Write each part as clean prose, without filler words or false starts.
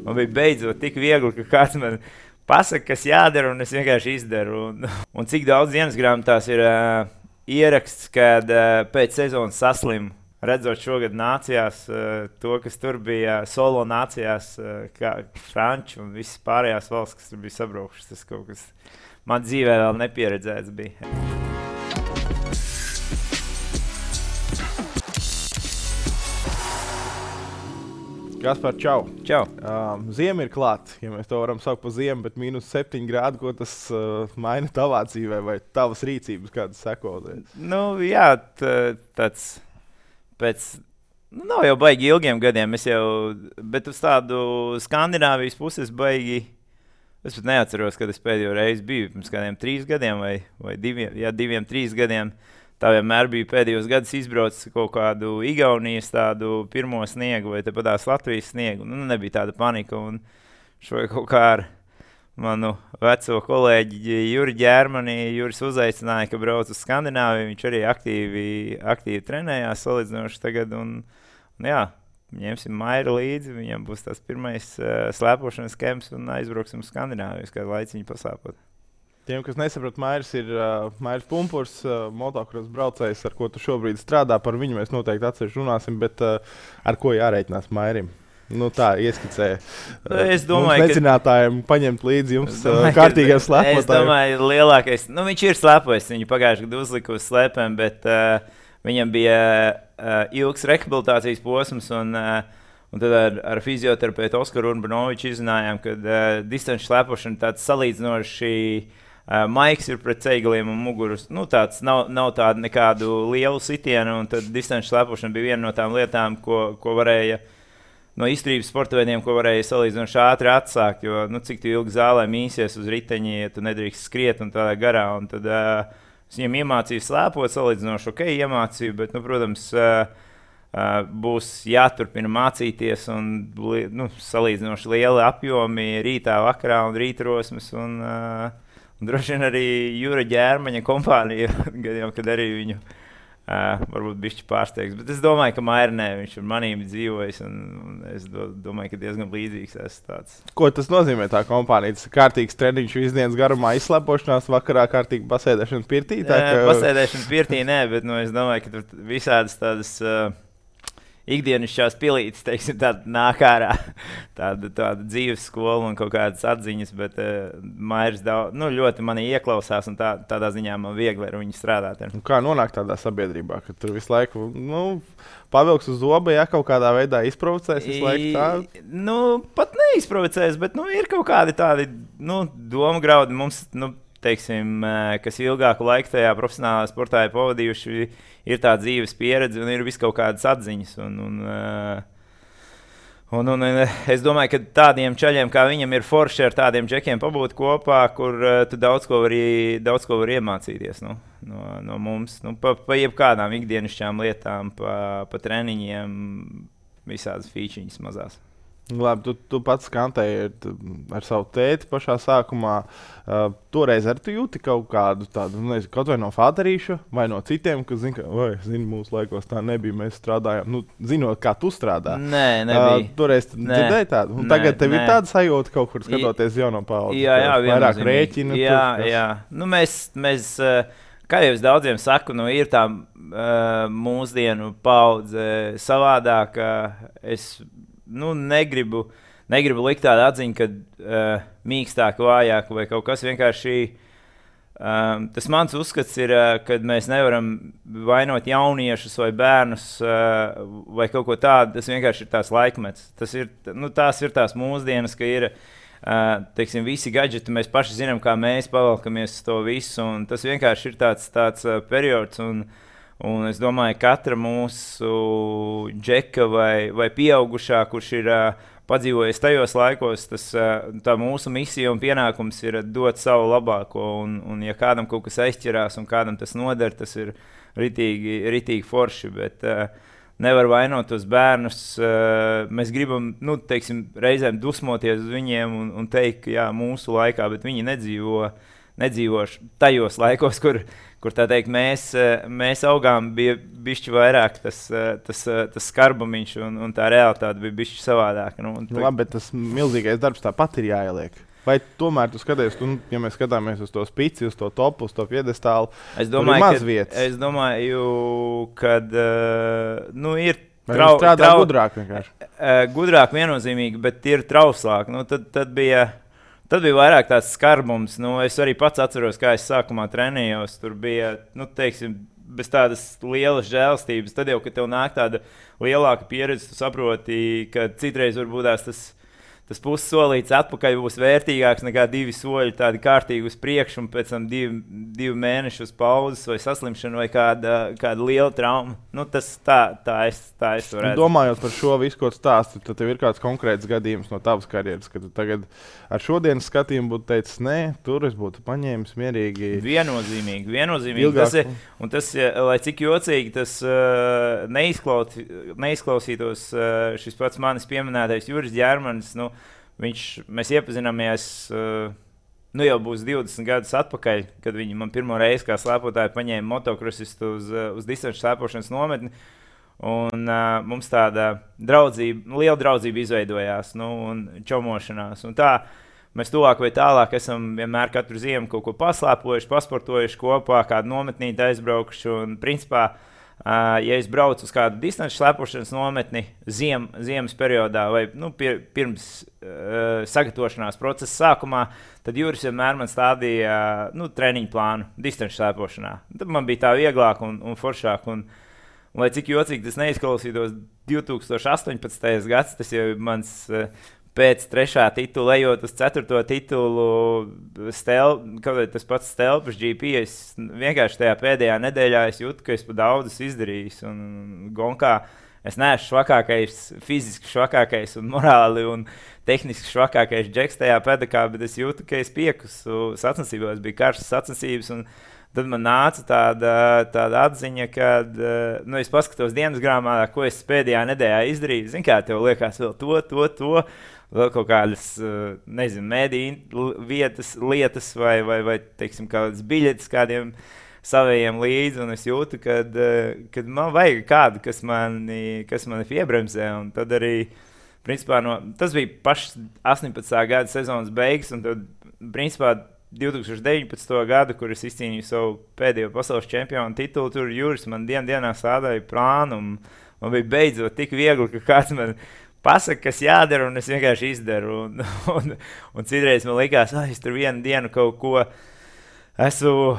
man bija beidzot tik viegli, ka kāds man pasaka, kas jādara, un es vienkārši izdaru. Un cik daudz dienas grāmatās ir ieraksts, kad pēc sezonas saslimu. Redzot šogad nācijās, to, kas tur bija solo nācijās, kā Franči un visas pārējās valsts, kas tur bija sabraukušas, tas kaut kas man dzīvē vēl nepieredzēts bija. Kaspar, čau. Čau. Ziema ir klāt, ja mēs to varam saukt par ziemu, bet -7 grādi, ko tas maina tavā dzīvē vai tavas rīcības, kādas sekoties? Nu, jā, tāds pēc, nav jau baigi ilgiem gadiem, bet uz tādu Skandināvijas puses baigi, es pat neatceros, kad es pēdējo reizi biju, pirms kādiem 3 gadiem vai 2, 3 gadiem. Tā vienmēr bija pēdējos gadus izbraucis kaut kādu Igaunijas tādu pirmo sniegu vai tepatās Latvijas sniegu. Nu, nebija tāda panika. Un šo kaut kā ar manu veco kolēģi Juri Ģērmani, Juris uzaicināja, ka brauc uz Skandināviju. Viņš arī aktīvi trenējās salīdzinoši tagad. Un jā, ņemsim Mairu līdzi. Viņam būs tas pirmais slēpošanas kemps un aizbrauksim uz Skandināviju, kādu laiciņu pasāpot. Tiem, kas nesaprot, Mairis ir Mairis Pumpurs, motocross braucējs, ar ko tu šobrīd strādā. Par viņu mēs noteikti atsevišķi runāsim, bet ar ko jārēķinās Mairim? Nu tā, ieskicē. Es domāju, mums necinātājiem paņemt līdzi jums kārtīgiem slēpotājiem. Es domāju, lielākais, viņš ir slēpojis, viņu pagājuši gadu uzliku uz slēpēm, bet viņam bija ilgs rehabilitācijas posms, un tad ar fizioterapeitu Oskaru Urbanoviču izzinājām, ka distanču slēpošana tāds salīdzinoši maiks ir pret ceigaliem un mugurus. Nu, tāds nav tāda nekādu lielu sitienu, un tad distanču slēpošana bija viena no tām lietām, ko varēja no izturības sporta veidiem, ko varēja salīdzinoši ātri atsākt, jo, cik tu ilgi zālē mīsies uz riteņi, ja tu nedrīkst skriet un tādā garā, un tad es viņam iemācīju slēpot, salīdzinoši iemācīju, bet, protams, būs jāturpina mācīties un salīdzinoši lieli apjomi rītā, vakarā un rītrosmes, un droši vien arī Jura Ģērmaņa kompānija, kad arī viņu varbūt bišķi pārsteigs. Bet es domāju, ka Mairnē viņš ar manīm dzīvojis, un es domāju, ka diezgan līdzīgs esmu tāds. Ko tas nozīmē tā kompānija? Tas ir kārtīgs treniņš visdienas garumā, izslēpošanās, vakarā kārtīgi pasēdēšana pirtī? Pasēdēšana pirtī nē, bet es domāju, ka tur visādas tādas ikdienišķās pilītes, teiksim, tāda nāk ārā, tāda dzīves skola un kaut kādas atziņas, bet Mairis ļoti mani ieklausās, un tādā ziņā man viegli ar viņu strādāt. Kā nonākt tādā sabiedrībā, ka tur visu laiku, pavilks uz zoba, ja kaut kādā veidā izprovocēs visu laiku tā? Pat neizprovocēs, bet, ir kaut kādi tādi, doma graudi mums, teiksim, kas ilgāku laiku tajā profesionālā sportā ir pavadījuši, ir tā dzīves pieredze un ir vis kaut kādas atziņas. Un es domāju, ka tādiem čaļiem kā viņam ir forši ar tādiem džekiem pabūt kopā, kur tu daudz ko var iemācīties no mums. Pa jebkādām ikdienišķām lietām, pa treniņiem, visādas fīčiņas mazās. Labi, tu pats skantēji ar savu tēti pašā sākumā. Toreiz arī tu jūti kaut kādu tādu, kaut vai no fāterīša, vai no citiem, kas zina, mūsu laikos tā nebija, mēs strādājām, zinot, kā tu strādā. Nē, nebija. Toreiz dzirdēji tādu? Un tagad tev ir tāda sajūta kaut kur skatoties jauno paudzi? Jā, vairāk rēķina. Jā. Mēs kā jau es daudziem saku, ir tā mūsdienu paudze savādāka. Es negribu likt tādu atziņu, ka mīkstāk, vājāk vai kaut kas vienkārši. Tas mans uzskats ir, ka mēs nevaram vainot jauniešus vai bērnus vai kaut ko tādu. Tas vienkārši ir tās laikmets. Tās ir tās mūsdienas, ka ir teiksim, visi gadžeti. Mēs paši zinām, kā mēs pavalkamies uz to visu. Un tas vienkārši ir tāds periods. Un es domāju, ka katra mūsu džeka vai pieaugušā, kurš ir padzīvojis tajos laikos, tā mūsu misija un pienākums ir dot savu labāko. Un ja kādam kaut kas aizķerās un kādam tas noder, tas ir ritīgi forši. Bet nevar vainot tos bērnus. Mēs gribam, teiksim, reizēm dusmoties uz viņiem un teikt, ka jā, mūsu laikā, bet viņi nedzīvošu tajos laikos, kur tā teikt, mēs augām, bija bišķi vairāk tas skarbumiņš un tā realitāte bija bišķi savādāka. Labi, bet tas milzīgais darbs tāpat ir jāieliek. Vai tomēr tu skaties, ja mēs skatāmies uz to spici, uz to topu, uz to piedestālu, tur ir maz vietas? Es domāju, kad ir strādā gudrāk vienkārši. Gudrāk viennozīmīgi, bet ir trauslāk. Tad bija vairāk tāds skarbums. Es arī pats atceros, kā es sākumā trenējos. Tur bija, teiksim, bez tādas lielas žēlstības. Tad jau, kad tev nāk tāda lielāka pieredze, tu saproti, ka citreiz varbūt tas pussolīts atpakaļ būs vērtīgāks nekā 2 soļi tādi kārtīgi uz priekšu un pēc tam 2 mēnešu uz pauzes vai saslimšanu vai kāda liela trauma. Tā es to redzu. Domājot par šo visu, ko stāsti, tad tev ir kāds konkrēts gadījums no tavas karjeras, kad tu tagad ar šodienas skatījumu būtu teicis, nē, tur es būtu paņēmis mierīgi. Viennozīmīgi. Tas, lai cik jocīgi tas neizklausītos šis pats manis pieminētais Juris Ģermanis, mēs iepazināmies, jau būs 20 gadus atpakaļ, kad viņi man pirmo reizi kā slēpotāju paņēma motokrosistu uz distanču slēpošanas nometni. Un mums tāda liela draudzība izveidojās un čomošanās. Un tā mēs tuvāk vai tālāk esam vienmēr katru ziemu kaut ko paslēpojuši, pasportojuši kopā, kādu nometnīti aizbraukuši. Un principā, ja es braucu uz kādu distanču slēpošanas nometni ziemas periodā vai pirms sagatavošanās procesa sākumā, tad Juris vienmēr man stādīja treniņu plānu distanču slēpošanā. Tad man bija tā vieglāk un foršāk. Un, lai cik jocīgi tas neizklausītos, 2018. gads, tas jau ir mans pēc 3. titula, ejot uz 4. titulu, tas pats Stelpas GP. Es vienkārši tajā pēdējā nedēļā jūtu, ka es pa daudz izdarījis. Un gonkā es neesmu švakākais, fiziski švakākais un morāli un tehniski švakākais džeks tajā pedakā, bet es jūtu, ka es piekusu sacensībās, bija karšas sacensības. Un tad man nāca tāda atziņa, kad es paskatos dienas grāmatā, ko es pēdējā nedēļā izdarīju. Zini, kā tev liekas vēl to, vēl kaut kādas, mediju lietas vai teiksim, kādas biļetes kādiem saviem līdzi, un es jūtu, kad man vajag kādu, kas mani piebremzē, un tad arī, principā, tas bija pašs 18. gada sezonas beigas, un tad, principā, 2019. gadu, kur es izcīnīju savu pēdējo pasaules čempionu titulu, tur Juris man dienā sādāja plānu, un man bija beidzot tik viegli, ka kāds man pasaka, kas jādara, un es vienkārši izdaru. Un citreiz man likās, es tur vienu dienu kaut ko esmu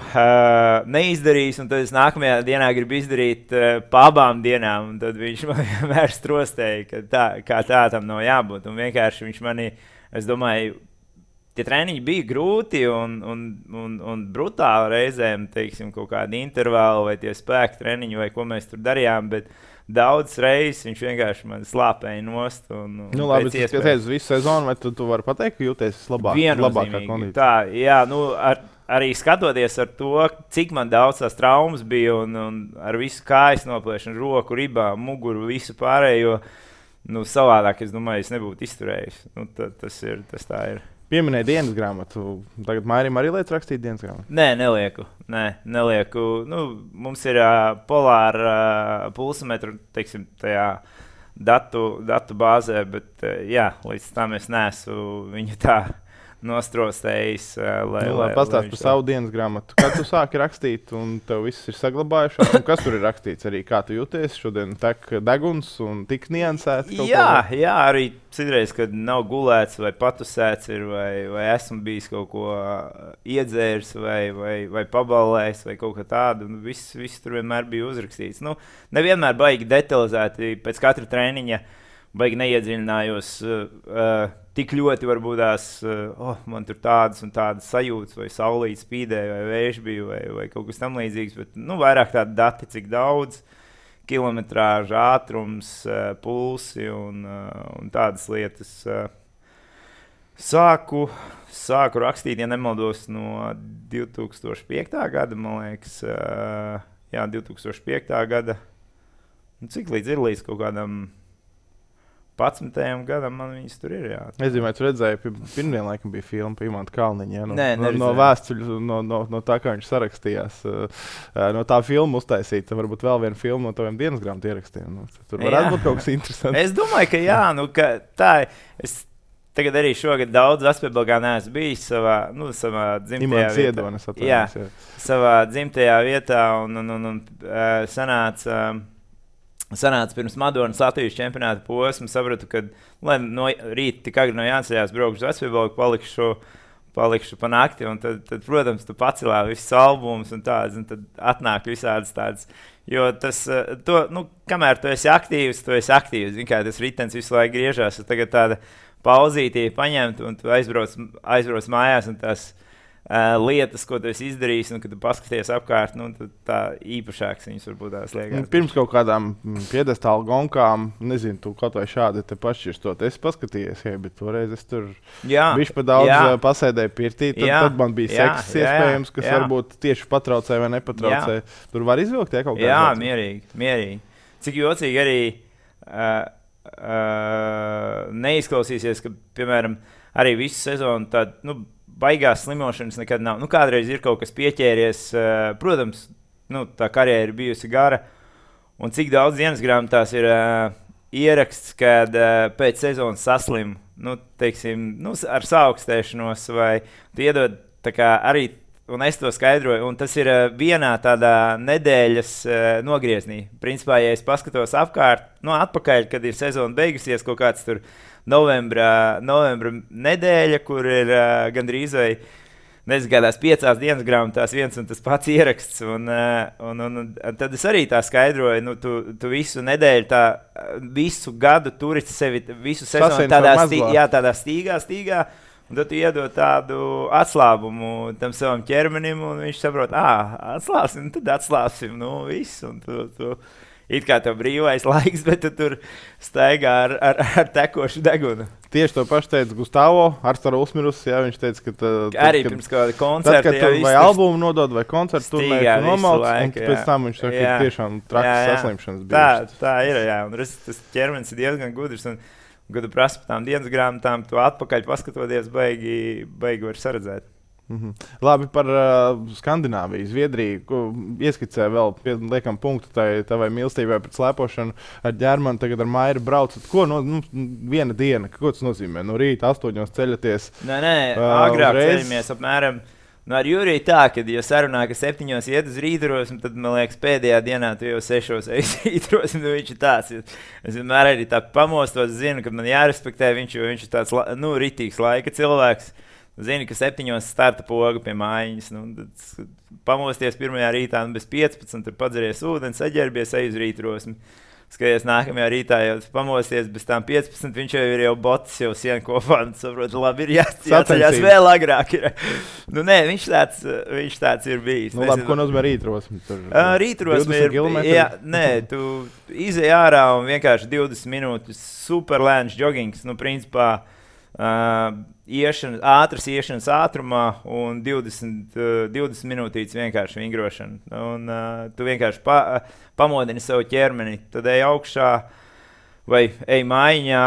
neizdarījis, un tad es nākamajā dienā gribu izdarīt pa abām dienām, un tad viņš man vienmēr strostēja, ka tā tam nav jābūt. Un vienkārši viņš mani, es domāju, tie treniņi bija grūti un brutāli reizēm, teiksim, kaut kādi intervāli vai tie spēku treniņi vai ko mēs tur darījām, bet daudz reizes viņš vienkārši man slāpēja nost. Labi, tas skaties visu sezonu, vai tu vari pateikt, ka jūties labākā kondīcijā? Tā, jā, arī skatoties ar to, cik man daudz tās traumas bija un ar visu kājas noplēšanu, roku, ribām, muguru, visu pārējo, savādāk, es domāju, es nebūtu izturējis. Tas tā ir. Pieminēja dienas grāmatu. Tagad Mairim arī liec rakstīt dienas grāmatu? Nē, nelieku. Mums ir polāra pulsometru, teiksim, tajā datu bāzē, bet līdz tam es neesmu viņu tā nostrostējis. Pastāst par savu dienas grāmatu. Kad tu sāki rakstīt un tev viss ir saglabājušās? Un kas tur ir rakstīts? Arī kā tu jūties? Šodien tek deguns un tik niansēts? Jā, arī citreiz, kad nav gulēts vai patusēts ir, vai esmu bijis kaut ko iedzērs vai pabalējis vai kaut kā tādu. Viss tur vienmēr bija uzrakstīts. Nevienmēr baigi detalizēti pēc katra treniņa. Baigi neiedziļinājos tik ļoti, varbūt man tur tādas un tādas sajūtas, vai saulīt spīdēja, vai vējš bija, vai kaut kas tam līdzīgs. Bet vairāk tādi dati, cik daudz, kilometrāža, ātrums, pulsi un tādas lietas. Sāku rakstīt, ja nemaldos, no 2005. gada, man liekas. 2005. gada. Cik līdz kaut kādam 11. gadam man viņas tur ir. Jā. Es domāju, tu redzēji, pirmdien laikam bija filma par Imantu Kalniņu. Ja? No vēstuļu, no tā, kā viņš sarakstījās. No tā filma uztaisīta. Varbūt vēl viena filma no taviem dienas grāmatu ierakstiem. Tur varētu būt kaut kas interesants. Es domāju, ka jā. Tā es tagad arī šogad daudz Vespēbelgā neesmu bijis savā dzimtajā vietā. Jā, savā dzimtajā vietā un sanāca pirms Madonas Latvijas čempionāta posma, sapratu, ka no rīta tik agri no jāceļās braukšu uz Vespēbelgu, palikšu pa nakti, un tad, protams, tu pacelā visus albumus un tādas, un tad atnāk visādas tādas, jo tas, kamēr tu esi aktīvs, zin kā tas ritens visu laiku griežās, un tagad tāda pauzītīja paņemt, un tu aizbrauc mājās, un tās lietas, ko tu esi izdarījis, un kad tu paskaties apkārt, tad tā īpašāks viņas varbūt tās liekas. Pirms kaut kādām piedestālu gonkām, nezinu, tu kaut vai šādi te pašķirstot, esi paskatījies, bet toreiz es tur bišķi pa daudz pasēdēju pirtī, tad man bija seks iespējams, kas varbūt tieši patraucē vai nepatraucē. Tur var izvilkt, kaut kā? Jā, mierīgi. Cik jocīgi arī neizklausīsies, ka, piemēram, arī visu sezonu tādu, baigās slimošanas nekad nav. Kādreiz ir kaut kas pieķēries. Protams, tā karjera ir bijusi gara. Un cik daudz dienas grāmatās ir ieraksts, kad pēc sezonas saslim, ar saaugstēšanos vai tu iedod tā kā arī, un es to skaidroju, un tas ir vienā tādā nedēļas nogrieznī. Principā, ja es paskatos atpakaļ, kad ir sezona beigusies, kaut kāds tur novembra nedēļa, kur ir gandrīz vai nezgādās 5 dienas grāmatās viens un tas pats ieraksts. Un tad es arī tā skaidroju, tu visu nedēļu, visu gadu turi sevi, visu sezonu tādā stīgā, un tad tu iedod tādu atslābumu tam savam ķermenim, un viņš saprot, atslābsim, tad atslābsim, visu, un tu it kā tev brīvais laiks, bet tu tur staigā ar tekošu degunu. Tieši to pašu teica Gustavo, Arstara Ulsmirus, viņš teica, ka arī pirms kāda koncerta. Tad, kad tu vai albumu nodod, vai koncertu turnēju, tu nomalc, un pēc tam viņš saka, ka tiešām trakas saslimšanas bijušas. Tā ir, un tas ķermenis ir diezgan gudrs, un kad tu prasi par tām dienas grāmatām, tu atpakaļ paskatoties, baigi var saredzēt. Labi, par Skandināviju, Zviedriju. Ieskicē vēl, liekam, punktu tavai mīlestībai pret slēpošanu. Ar Ģermanu, tagad ar Mairu braucat. Ko viena diena, ko tas nozīmē? No rīta 8 ceļaties? Nē, agrāk ceļamies apmēram. Ar Juriju tā, kad jau sarunā, ka 7 iet uz rītrosmi, tad, man liekas, pēdējā dienā tu jau 6 ej uz rītrosmi, viņš ir tāds. Es vienmēr arī tā pamostos, zinu, ka man jārespektē viņš, jo viņš ir tāds, ritīgs laika cilvēks. Zini, ka 7 starta poga pie mājiņas. Tad pamosties pirmajā rītā bez 15, tur padzeries ūdeni, saģērbies, ej uz rītrosmi. Skaties, nākamajā rītā jau pamosties bez tām 15, viņš jau ir bots, jau sienu kopā, un saprot, labi, ir jāceļās vēl agrāk. Nē, viņš tāds ir bijis. Labi, ko nozīmē rītrosmi? Rītrosmi ir, tu izej ārā un vienkārši 20 minūtes superlēns joggings, principā, ātras iešanas ātrumā un 20 minūtītes vienkārši vingrošana. Un tu vienkārši pamodini savu ķermeni, tad ej augšā vai ej mājiņā,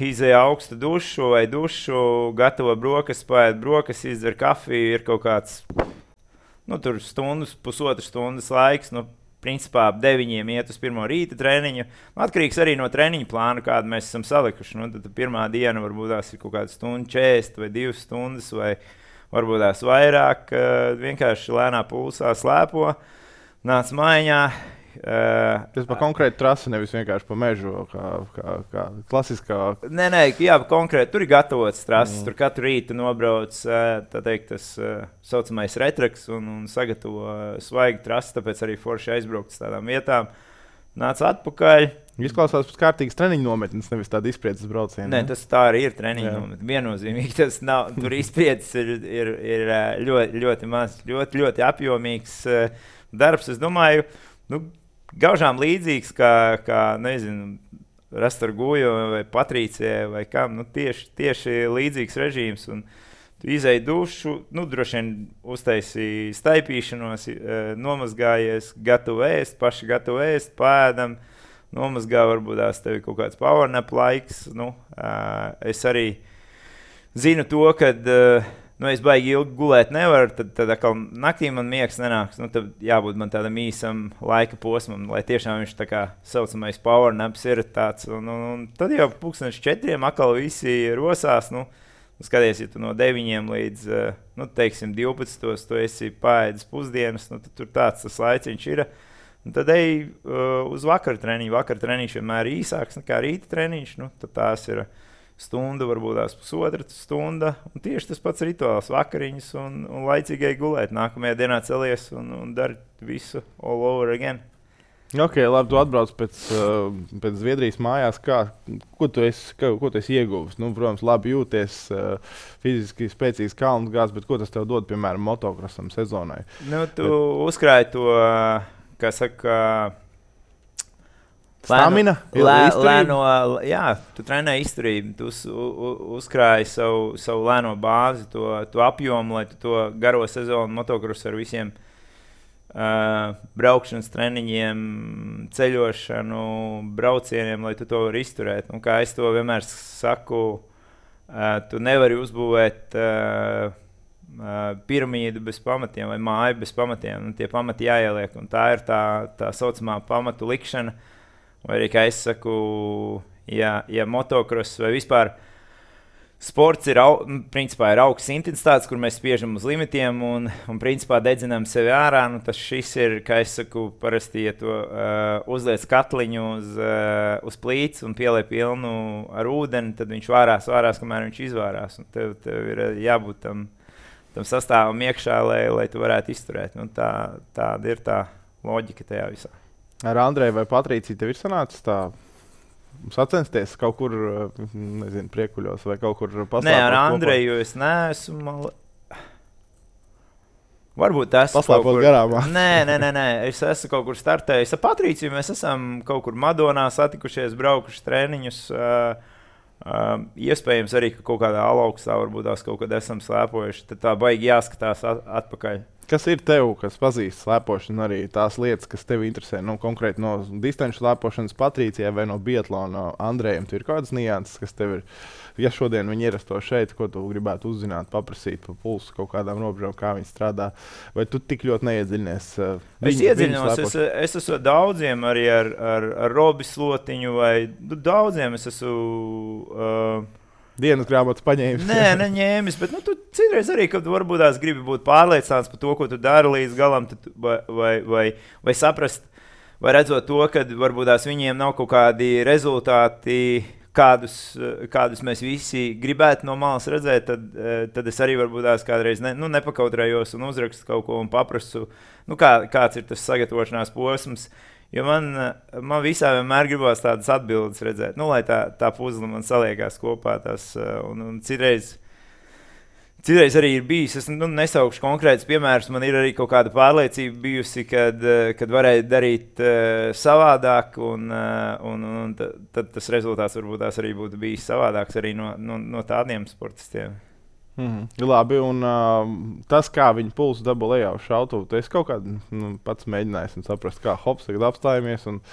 izej augstu dušu vai dušu, gatavo brokastu, paēd brokastu, izdzer kafiju, ir kaut kāds, tur pusotru stundas laiks, principā ap 9 iet uz pirmo rīta treniņu. Atkarīgs arī no treniņa plāna, kādu mēs esam salikuši. Tad pirmā diena varbūt tās ir kaut kāda 1:40 vai 2 stundas, vai varbūt tās vairāk. Vienkārši lēnā pulsā slēpo, nāc mājiņā. Tas par konkrētu trasi, nevis vienkārši pa mežu, kā klasiskā. Nē, jā, konkrēti. Tur ir gatavots trases. Tur katru rītu nobrauc, tas saucamais retraks un sagatavo svaigu trasi, tāpēc arī forši aizbraukt uz tādām vietām. Nāc atpakaļ. Izklausās pēc kārtīgas treniņu nometnes, nevis tāda izpriedzes brauciena. Nē, tas tā arī ir treniņu nometne. Viennozīmīgi tas nav. Tur izpriedzes ir ļoti, ļoti maz, ļoti, ļoti apjomīgs darbs. Es domāju, gaužām līdzīgs kā nezinu, Rastorgujo vai Patrīcijai vai kam, tieši līdzīgs režīms. Un tu izej dušu, droši vien uztaisīji staipīšanos, nomazgājies, paši gatavu ēst, pēdam, nomazgā, varbūt tās tev ir kaut kāds powernap laiks. Es arī zinu to, ka es baigi ilgi gulēt nevaru, tad atkal naktī man miegs nenāks. Tad jābūt man tādam īsam laika posmam, lai tiešām viņš tā kā saucamais powernaps ir tāds. Un tad jau 4:00 atkal visi rosās. Skaties, ja tu no 9 līdz, teiksim, 12 tu esi paēdis pusdienas, tad tur tāds tas laiciņš ir. Un tad ej uz vakar treniņu. Vakar treniņš vienmēr ir īsāks nekā rīta treniņš. Tad tās ir stunda, varbūt tās pusotra stunda. Un tieši tas pats rituāls, vakariņas un laicīgai gulēt. Nākamajā dienā celies un dari visu all over again. Ok, labi, tu atbrauc pēc Zviedrijas mājās. Ko tu esi ieguvis? Protams, labi jūties, fiziski spēcīgs kalnu gāzes, bet ko tas tev dod, piemēram, motokrosam sezonai? Tu uzkrāji to, kā saka, stamina? Tu trenē izturību, tu uzkrāji savu lēno bāzi, to apjomu, lai tu to garo sezonu motokrosu ar visiem braukšanas treniņiem, ceļošanu, braucieniem, lai tu to vari izturēt. Kā es to vienmēr saku, tu nevari uzbūvēt piramīdu bez pamatiem vai māju bez pamatiem. Tie pamati jāieliek, un tā ir tā saucamā pamatu likšana. Vai arī, kā es saku, ja motokross vai vispār sports ir augsts intensitātes, kur mēs spiežam uz limitiem un principā dedzinām sevi ārā, tas šis ir, kā es saku, parasti, ja tu uzliec katliņu uz plīts un pieliek pilnu ar ūdeni, tad viņš vārās, kamēr viņš izvārās. Un tev ir jābūt tam sastāvam iekšā, lai tu varētu izturēt. Tāda ir tā loģika tajā visā. Ar Andreju vai Patrīciju tev ir sanācis tā sacensties kaut kur, nezinu, priekuļos vai kaut kur paslēpot? Nē, ar Andreju es neesmu. Varbūt tas paslēpot garāmā. Nē, es esmu kaut kur startējis. Ar Patrīciju mēs esam kaut kur Madonā satikušies, braukuši treniņus. Iespējams arī, ka kaut kādā alaukstā varbūt tās kaut kad esam slēpojuši. Tad tā baigi jāskatās atpakaļ. Kas ir tev, kas pazīst slēpošanu, arī tās lietas, kas tev interesē? Konkrēti no distanču slēpošanas Patrīcijai vai no biatlona Andrejam? Tur ir kādas nianses, kas tev ir? Ja šodien viņi ierasto šeit, ko tu gribētu uzzināt, paprasīt pa pulsu kaut kādām robežām, kā viņi strādā? Vai tu tik ļoti neiedziļinies? Es iedziļinos, es esmu daudziem arī ar Robi Slotiņu vai daudziem es esmu... Dienas grāmatas paņēmis. Nē, neņēmis, bet tu citreiz arī, kad varbūt tās gribi būt pārliecināts par to, ko tu dari līdz galam, vai saprast, vai redzot to, ka varbūt tās viņiem nav kaut kādi rezultāti, kādus mēs visi gribētu no malas redzēt, tad es arī varbūt tās kādreiz nepakautrējos un uzrakstu kaut ko un paprasu, kāds ir tas sagatavošanās posms. Jo man visā vienmēr gribās tādas atbildes redzēt, lai tā puzle man saliekās kopā. Un citreiz arī ir bijis, es nesaukšu konkrētus piemērus, man ir arī kaut kāda pārliecība bijusi, kad varēja darīt savādāk, un tad tas rezultāts varbūt tās arī būtu bijis savādāks arī no tādiem sportistiem. Labi, un tas, kā viņi pulsu dabū lejā uz šautuvu, tu esi kaut kādu pats mēģinājis un saprast, kā hops tagad apstājamies un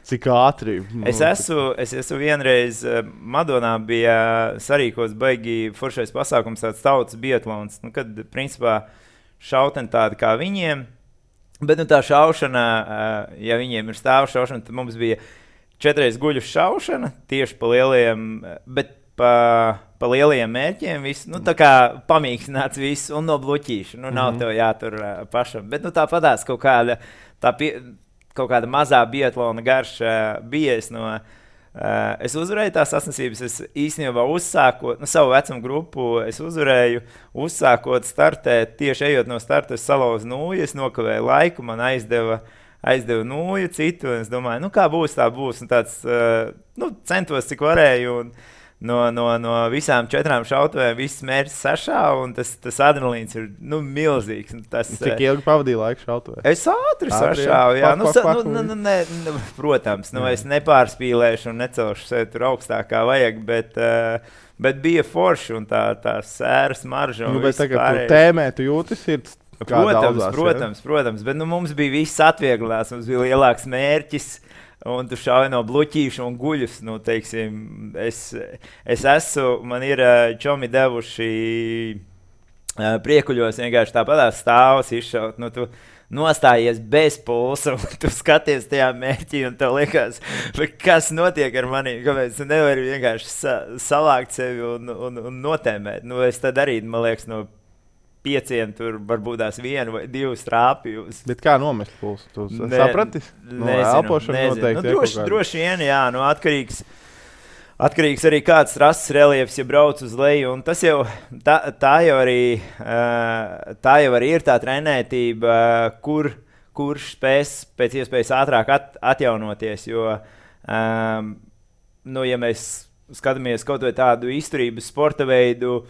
cik ātri. Es esmu vienreiz Madonā bija sarīkots baigi foršais pasākums, tāds tautas biatlons, kad principā šauteni tādi kā viņiem, bet tā šaušana, ja viņiem ir stāvu šaušana, tad mums bija 4 guļu šaušana tieši pa lielajiem, bet pa lielajiem mērķiem, tā kā pamīkstināts viss un no bluķīša. Nav tev jātur pašam. Bet tāpatās kaut kāda mazā biatlona garša bija. Es uzvarēju tās sacensības. Es īstenībā uzsākot savu vecumu grupu, es uzvarēju, uzsākot startēt, tieši ejot no starta, es salauzu nūju, es nokavēju laiku, man aizdeva nūju citu, un es domāju, kā būs, tā būs. Un tāds, centos, cik varēju, un no visām 4 šautuvēm viss mērķis sašāva, un tas adrenalīns ir milzīgs. Cik ilgi pavadīja laiku šautuvē? Es ātri sašāvu, jā. Protams, es nepārspīlēšu un necelšu sevi tur augstākā vajag, bet bija forši un tā sēras marža. Bet tagad tu tēmē, tu jūti sirds? Protams, bet mums bija viss atvieglināts, mums bija lielāks mērķis. un tu šauj no bluķīša un guļus. Nu, teiksim, man ir čomi devuši priekuļos vienkārši tāpatās stāvus izšaut. Nu, tu nostājies bez pulsa, un tu skaties tajā mērķī, un tev liekas, kas notiek ar mani, kāpēc tu nevari vienkārši salākt sevi un notēmēt. Nu, es tad arī, man liekas, no 5, tur varbūt tās 1 vai 2 trāpījus. Bet kā nomest pulsu? Tu saprati? Nezinu. Droši vien, jā, atkarīgs arī kāds trases reliefs, ja brauc uz leju. Un tas jau, tā jau arī ir tā trenētība, kurš spēs pēc iespējas ātrāk atjaunoties. Jo, ja mēs skatāmies kaut vai tādu izturības sporta veidu,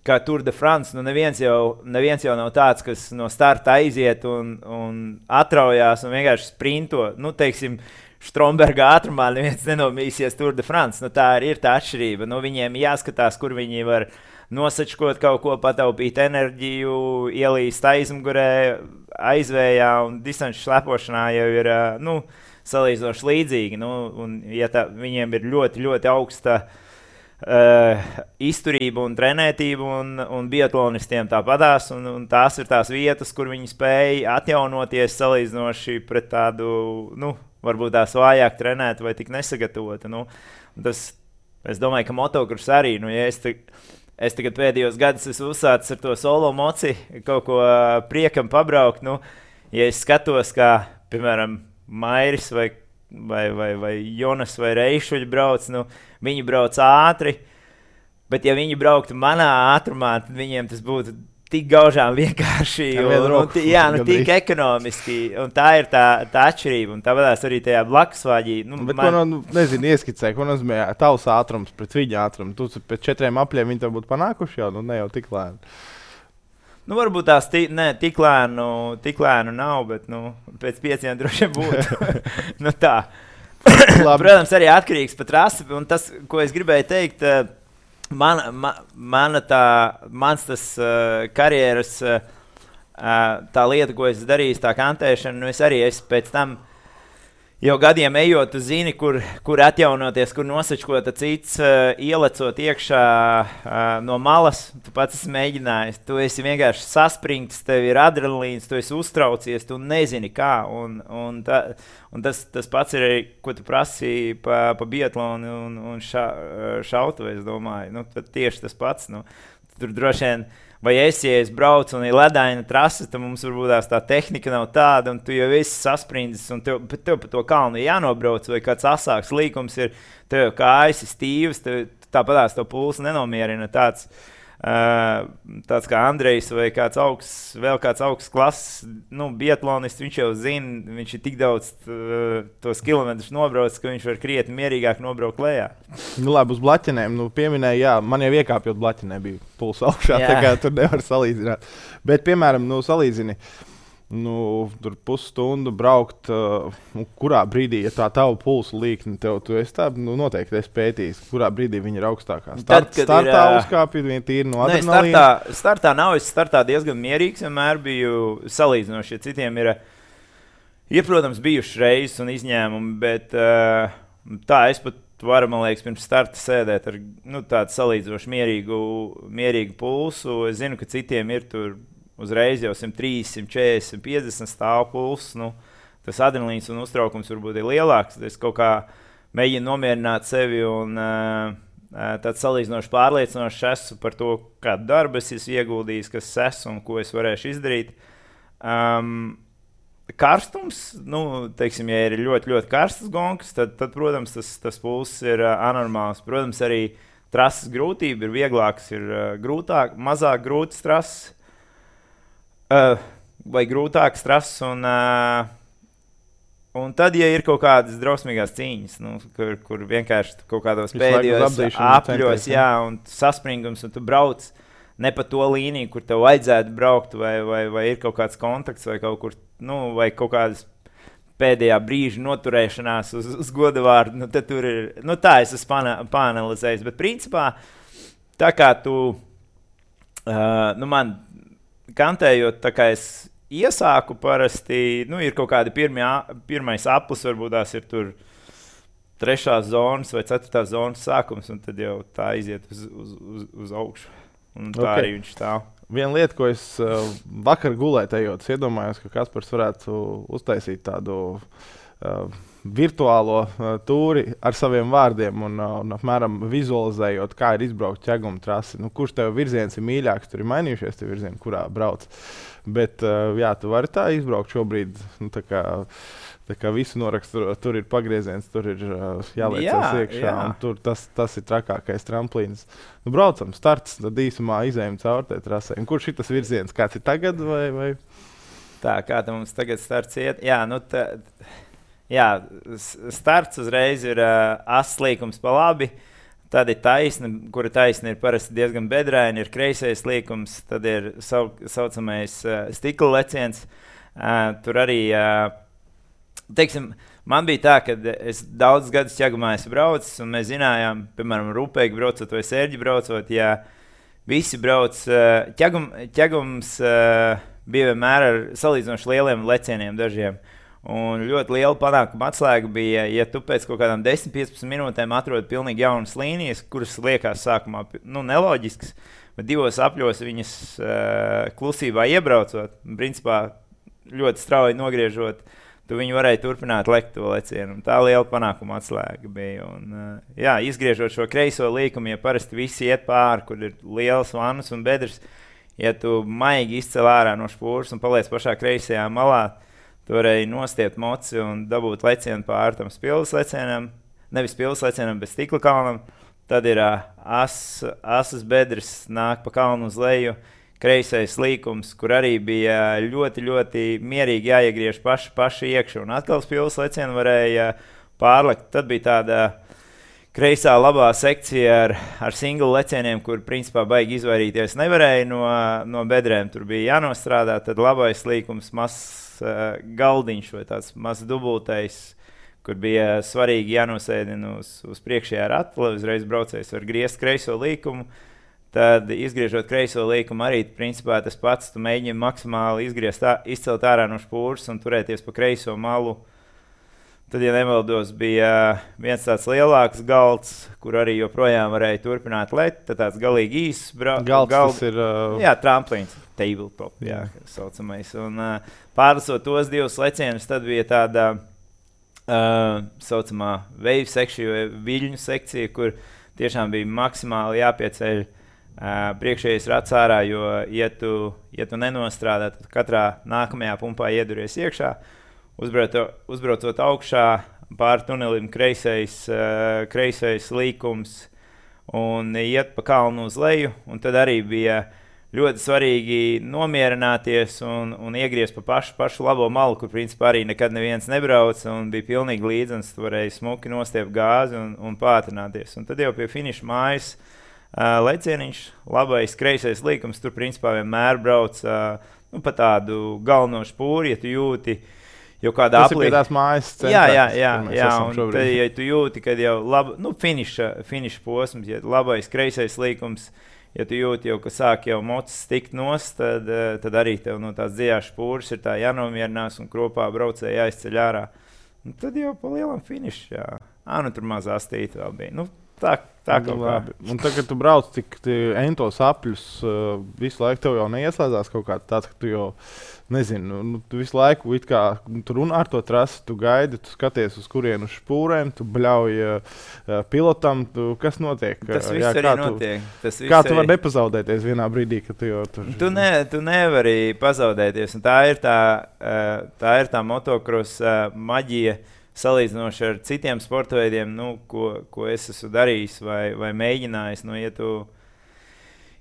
kā Tour de France, nu neviens jau nav tāds, kas no starta aiziet un atraujās un vienkārši sprinto. Nu, teiksim, Stromberga ātrumā neviens nenomīsies Tour de France. Nu, tā ir tā atšķirība. Nu, viņiem jāskatās, kur viņi var nosačkot kaut ko, pataupīt enerģiju, ielīst aizmugurē, aizvējā un distanču slepošanā jau ir, salīdzinoši līdzīgi. Nu, un, ja viņiem ir ļoti, ļoti augsta izturība un trenētība, un biatlonistiem tāpatās, un tās ir tās vietas, kur viņi spēja atjaunoties salīdzinoši pret tādu, varbūt tās vājāk trenēt vai tik nesagatavota. Es domāju, ka motokurs arī, ja es tagad pēdējos gadus esmu uzsācis ar to solo moci, kaut ko priekam pabraukt, ja es skatos, kā, piemēram, Mairis vai Jonas vai Reišuļi brauc, viņi brauc ātri, bet ja viņi brauktu manā ātrumā, tad viņiem tas būtu tik gaužām vienkārši, tik ekonomiski, un tā ir tā atšķirība, un tāpēc arī tajā blakusvāģī. Ieskicē, ko nozīmē tavs ātrums pret viņa ātrumu. Tu pēc 4 apļiem viņi tev būtu panākuši jau, ne jau tik lēni. Varbūt tās tik lēnu nav, bet pēc 5 droši vien būtu. Tā. Protams, arī atkarīgs pat rasi, un tas, ko es gribēju teikt, mans tas karjeras, tā lieta, ko es darīju, tā kantēšana, es arī pēc tam jau gadiem ejot, tu zini, kur atjaunoties, kur nosačkot cits, ielecot iekšā no malas. Tu pats esi mēģinājis, tu esi vienkārši saspringts, tev ir adrenalīns, tu esi uztraucies, tu nezini kā. Un tas pats ir arī, ko tu prasīji pa biatlonu un šautu, es domāju. Tieši tas pats. Tur droši vien. Vai ja es braucu un ir ledaina trase, tad mums varbūt tā tehnika nav tāda, un tu jau esi sasprindzis, un tev pa to kalnu jānobrauc, vai kāds asāks līkums ir, tev jau kājas ir stīvas, tāpatās to pulsu nenomierina tāds kā Andrejs vai vēl kāds augsts klases, biatlonists, viņš jau zina, viņš ir tik daudz tos kilometrus nobraucis, ka viņš var krietni mierīgāk nobraukt lejā. Labi, uz blaķenēm, pieminēja, man jau iekāpjot blaķenē bija pulsa augšā, tā kā tur nevar salīdzināt. Bet, piemēram, salīdzini, tur pusstundu braukt, kurā brīdī, ja tā tava pulsu līkni, tu esi tā, noteikti esi pētījis, kurā brīdī viņi ir augstākā. Startā uzkāpju, viņi tīri no adrenalīna. Startā nav, es startā diezgan mierīgs, vienmēr biju salīdzinoši, ja citiem ir, protams, bijuši reizes un izņēmumi, bet tā es pat varu, man liekas, pirms starta sēdēt ar tādu salīdzinoši mierīgu pulsu. Es zinu, ka citiem ir tur uzreiz jau 130, 140, 150 stāv pulss. Tas adrenalīns un uztraukums varbūt ir lielāks. Es kaut kā mēģinu nomierināt sevi un tāds salīdzinoši pārliecinošs esmu par to, kādu darbu es esmu ieguldījis, kas es esmu un ko es varēšu izdarīt. Karstums, teiksim, ja ir ļoti, ļoti karstas gonkas, tad protams, tas pulss ir anormāls. Protams, arī trases grūtība ir vieglāks, ir grūtāk, mazāk grūtas trases. Vai grūtākas trases, un tad, ja ir kaut kādas drausmīgās cīņas, kur vienkārši kaut kādos pēdējos apļos, un saspringums, un tu brauc ne pa to līniju, kur tev vajadzētu braukt, vai ir kaut kāds kontakts, vai kaut kur, vai kaut kādas pēdējā brīža noturēšanās uz godavārdu, tad tur ir, tā es esmu pāanalizējis, bet principā, tā kā tu, man kantējot, tā kā es iesāku parasti, ir kaut kādi pirmais aplis, varbūt tās ir tur 3. zonas vai 4. zonas sākums, un tad jau tā iziet uz augšu. Un tā arī viņš stāv. Viena lieta, ko es vakar gulēju ejot, iedomājos, ka Kaspars varētu uztaisīt tādu virtuālo tūri ar saviem vārdiem un apmēram vizualizējot, kā ir izbraukt ķeguma trasi. Nu, kurš tev virziens ir mīļāks, tur ir mainījušies tie virzieni, kurā brauc. Bet jā, tu vari tā izbraukt šobrīd, nu, tā kā visu norakstu, tur ir pagrieziens, tur ir jāliecas iekšā, un tur tas ir trakākais tramplīns. Nu, braucam, starts, tad īsumā izējam caur tai trasē. Un kurš ir tas virziens? Kāds ir tagad? Vai? Tā, kā tā mums tagad starts iet? Jā, nu starts uzreiz ir aslīkums pa labi, tad ir taisna, kura taisna ir parasti diezgan bedraina, ir kreisais līkums, tad ir saucamais stikla leciens. Tur arī... Teiksim, man bija tā, ka es daudz gadus ķegumā esmu braucis, un mēs zinājām, piemēram, Rūpēgi braucot vai Sērģi braucot, ja visi brauc, ķegums bija vienmēr ar salīdzinoši lieliem lecieniem dažiem. Un ļoti liela panākuma atslēga bija, ja tu pēc kaut kādām 10-15 minūtēm atrod pilnīgi jaunas līnijas, kuras liekas sākumā neloģiskas, bet 2 apļos viņas klusībā iebraucot, principā ļoti strauji nogriežot, tu viņu varēji turpināt lekt to lecienu. Tā liela panākuma atslēga bija. Un, izgriežot šo kreiso līkumu, ja parasti visi iet pāri, kur ir lielas vannas un bedres, ja tu maigi izcel ārā no špūras un paliec pašā kreisajā malā, tu varēji nostiept moci un dabūt lecienu pāri tam spilves lecienam, nevis spilves lecienam, bet stikla kalnam. Tad ir asas bedres, nāk pa kalnu uz leju, kreisais līkums, kur arī bija ļoti, ļoti mierīgi jāiegriež paši iekšā. Un atkal spilves lecienu varēja pārlekt. Tad bija tāda kreisā labā sekcija ar single lecieniem, kur principā baigi izvairīties nevarēja no bedrēm. Tur bija jānostrādā, tad labais līkums, mazs galdiņš vai tāds mazs dubultais, kur bija svarīgi jānosēdina uz priekšējā rata, lai uzreiz braucējs var griezt kreiso līkumu. Tad, izgriežot kreiso līkumu, arī principā tas pats. Tu mēģini maksimāli izcelt ārā no špūras un turēties pa kreiso malu. Tad, ja nemaldos, bija viens tāds lielāks galds, kur arī joprojām varēja turpināt lekt. Tad tāds galīgi īsts galds ir... Jā, tramplīns, tabletop, jā, saucamais. Un pārlasot tos 2 lecienus, tad bija tāda saucamā wave section vai viļņu sekcija, kur tiešām bija maksimāli jāpieceļ priekšējais rats ārā, jo, ja tu nenostrādā, tad katrā nākamajā pumpā ieduries iekšā, uzbraucot augšā, pāri tunelim kreisais līkums un iet pa kalnu uz leju, un tad arī bija ļoti svarīgi nomierināties un iegriezt pa pašu labo malu, kur principā arī nekad neviens nebrauc, un bija pilnīgi līdzens, tu varēji smuki nostiept gāzi un pātrināties. Un tad jau pie finiša mājas lecieniņš, labais kreisais līkums, tur principā vienmēr brauc pa tādu galveno špūri, ja tu jūti jau kādā aplī. Tas ir pie tās mājas centrā. Jā, un tad, ja tu jūti, kad jau finiša posms, ja labais kreisais līkums, ja tu jūti jau, ka sāk jau mocis tikt nost, tad arī tev no tās dziļās špūras ir tā jānomierinās un kropā braucēji jāizceļ ārā. Un tad jau pa lielam finišu, jā. Nu tur maz astīti vēl bija. Tā kaut kā. Un tagad tu brauc tik entos apļus, visu laiku tev jau neieslēdzās kaut kāds tāds, ka tu jau, nezinu, tu visu laiku it kā tu runā ar to trasi, tu gaidi, tu skaties uz kurienu uz špūrēm, tu bļauj pilotam, kas notiek? Tas viss arī notiek. Kā tu vari nepazaudēties vienā brīdī, kad tu jau tur... Tu nevari pazaudēties, un tā ir tā motocross maģija, salīdzinoši ar citiem sporta veidiem, ko es esmu darījis vai mēģinājis.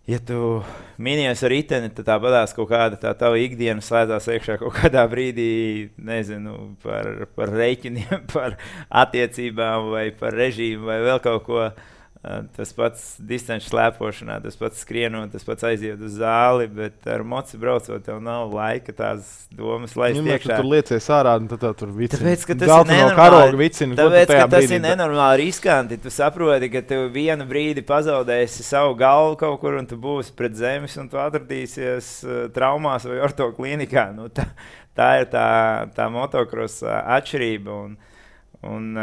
Ja tu minies ar riteni, tad tāpatās kaut kāda tā tava ikdiena slēdzās iekšā kaut kādā brīdī, nezinu, par rēķiniem, par attiecībām vai par režīmu vai vēl kaut ko. Tas pats distanču slēpošanā, tas pats skrienot, tas pats aiziet uz zāli, bet ar moci braucot, tev nav laika tās domas laist iekšā. Tu tur liecies ārā, un tad tev tur vicina. Tāpēc, ka tas ir nenormāli riskanti. Tu saproti, ka tev vienu brīdi pazaudēsi savu galvu kaut kur, un tu būsi pret zemes, un tu atradīsies traumās vai ortoklīnikā. Tā ir tā motocross atšķirība. Un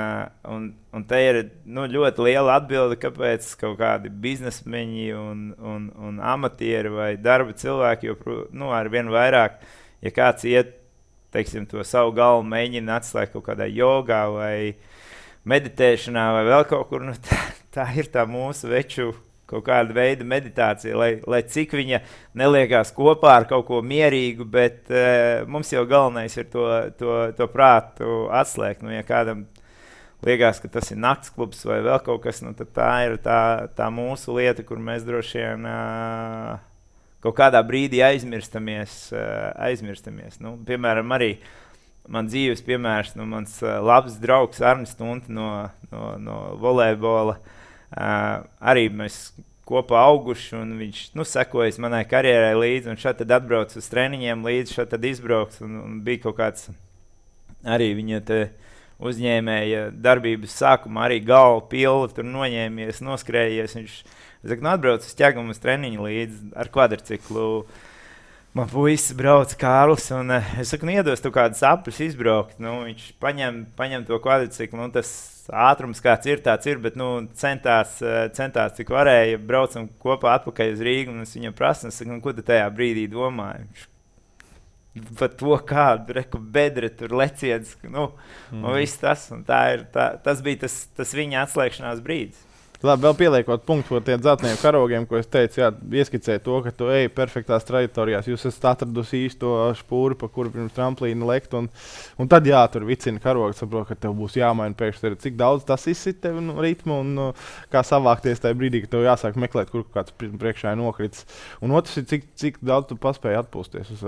te ir ļoti liela atbilde, kāpēc kaut kādi biznesmeņi un amatieri vai darba cilvēki ar vien vairāk, ja kāds iet, teiksim, to savu galvu mēģina atslēgt kaut kādā jogā vai meditēšanā vai vēl kaut kur, tā ir tā mūsu veču kaut kāda veida meditācija, lai cik viņa neliekās kopā ar kaut ko mierīgu, bet mums jau galvenais ir to prātu atslēgt. Ja kādam liekas, ka tas ir naktsklubs vai vēl kaut kas, tad tā ir tā mūsu lieta, kur mēs droši vien kaut kādā brīdī aizmirstamies. Piemēram, arī man dzīves piemērs, mans labs draugs Arnis Tunte no volejbola. Arī mēs kopā auguši, un viņš sekojas manai karjerai līdzi, un šeit tad atbrauc uz treniņiem līdzi, šeit tad izbrauks, un bija kaut kāds arī viņa te uzņēmēja darbības sākumā, arī galva pilva, tur noņēmies, noskrējies, viņš atbrauc uz ķegumu uz treniņu līdzi ar kvadriciklu. Man puisis brauc Kārlis, un es saku, iedos tu kādus apļus izbraukt. Viņš paņem to kvadriciklu, tas ātrums kāds ir, tāds ir, bet centās cik varēja, braucam kopā atpakaļ uz Rīgu, un es viņam prasu, ko tu tajā brīdī domāji? Par to kādu, bedre, tur leciens, un viss tas, un tas bija tas viņa atslēgšanās brīdis. Labi, vēl pieliekot punktu par tiem dzelteniem karogiem, ko es teicu, ieskicēju to, ka tu ej perfektās trajektorijās. Jūs esat atradusi īsto špūri, pa kuru pirms tramplīna lekt, un tad tur vicina karogu, saprot, ka tev būs jāmaina pēkšņi, cik daudz tas izsit tev ritmu un kā savākties tajā brīdī, ka tev jāsāk meklēt, kur kāds priekšā ir nokritis. Un otrs ir, cik daudz tu paspēji atpūsties uz,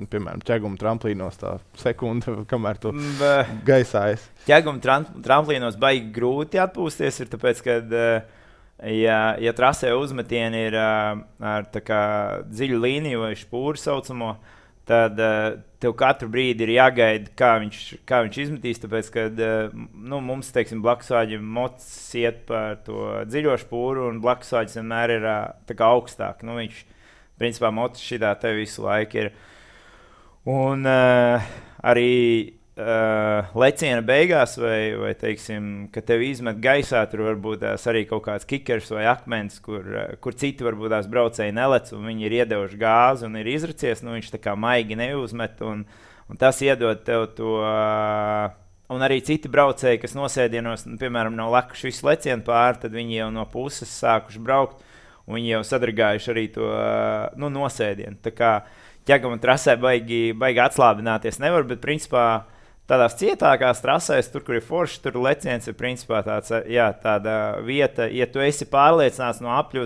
piemēram, ķeguma tramplīnos tā sekunde, kamēr tu gaisā esi. Ķeguma tramplīnos baigi grūti atpūsties, ir tāpēc, ka, ja trasē uzmetieni ir ar tā kā dziļu līniju vai špūru saucamo, tad tev katru brīdi ir jāgaida, kā viņš izmetīs, tāpēc, ka mums, teiksim, blakusvāģim mocis iet par to dziļo špūru, un blakusvāģis vienmēr ir tā kā augstāk. Viņš, principā, mocis šitā te visu laiku ir. Un arī leciena beigās, vai teiksim, ka tev izmet gaisā, tur varbūt arī kaut kāds kikers vai akmens, kur citi varbūt tās braucēji nelec, un viņi ir iedevuši gāzi un ir izracies, viņš tā kā maigi neuzmet, un tas iedod tev to, un arī citi braucēji, kas nosēdienos, piemēram, nav lekuši visu lecienu pāri, tad viņi jau no puses sākuši braukt, un viņi jau sadragājuši arī to nosēdienu. Tā kā ķegama trasē baigi atslābināties nevar, bet principā tādās cietākās trasēs, tur, kur ir forši, tur leciens ir principā tāda vieta, ja tu esi pārliecināts no apļa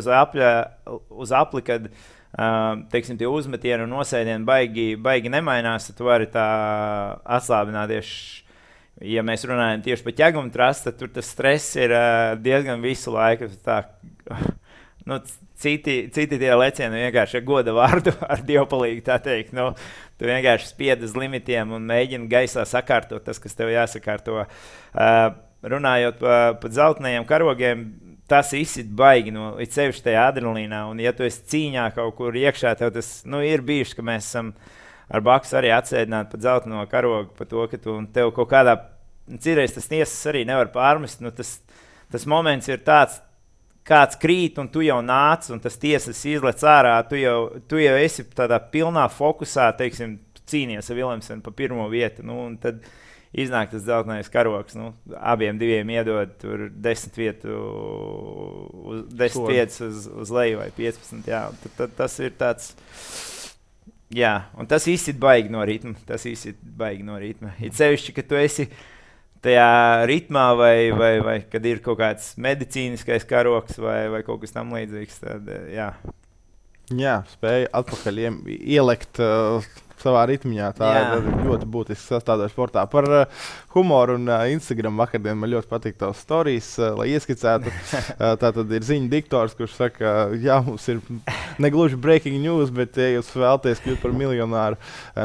uz apli, kad, teiksim, tie uzmetieni un nosēdieni baigi nemainās, tad tu vari tā atslābināties. Ja mēs runājam tieši par ķegumu trasi, tad tur tas stress ir diezgan visu laiku. Citi tie lecieni vienkārši goda vārdu ar dievpalīgu, tā teikt. Tu vienkārši spied uz limitiem un mēģini gaisā sakārtot tas, kas tev jāsakārto. Runājot par dzeltenajiem karogiem, tas izsit baigi, it sevišķi tajā adrenalīnā. Un ja tu esi cīņā kaut kur iekšā, tev tas ir bijuši, ka mēs esam ar Baksu arī atsēdināti par dzelteno karogu, par to, ka tev kaut kādā, citreiz tas tiesas arī nevar pārmest. Tas moments ir tāds, kāds krīt, un tu jau nāc, un tas tiesas izlec ārā, tu jau esi tādā pilnā fokusā, teiksim, cīnies ar Vilemsenu pa pirmo vietu, un tad iznāk tas dzeltenais karogs, abiem diviem iedod tur 10 vietas uz leju vai 15, jā, tad tas ir tāds, jā, un tas izsit baigi no ritma, it sevišķi, ka tu esi tajā ritmā vai kad ir kaut kāds medicīniskais karogs vai kaut kas tam līdzīgs, tad jā. Jā, spēja atpakaļ ielekt savā ritmiņā. Tā ir ļoti būtiska sastāvdaļa sportā. Par humoru un Instagram vakardien man ļoti patīk tavs stories, lai ieskicētu. Tā tad ir ziņu diktors, kurš saka, jā, mums ir negluži breaking news, bet ja jūs vēlaties kļūt par miljonāru,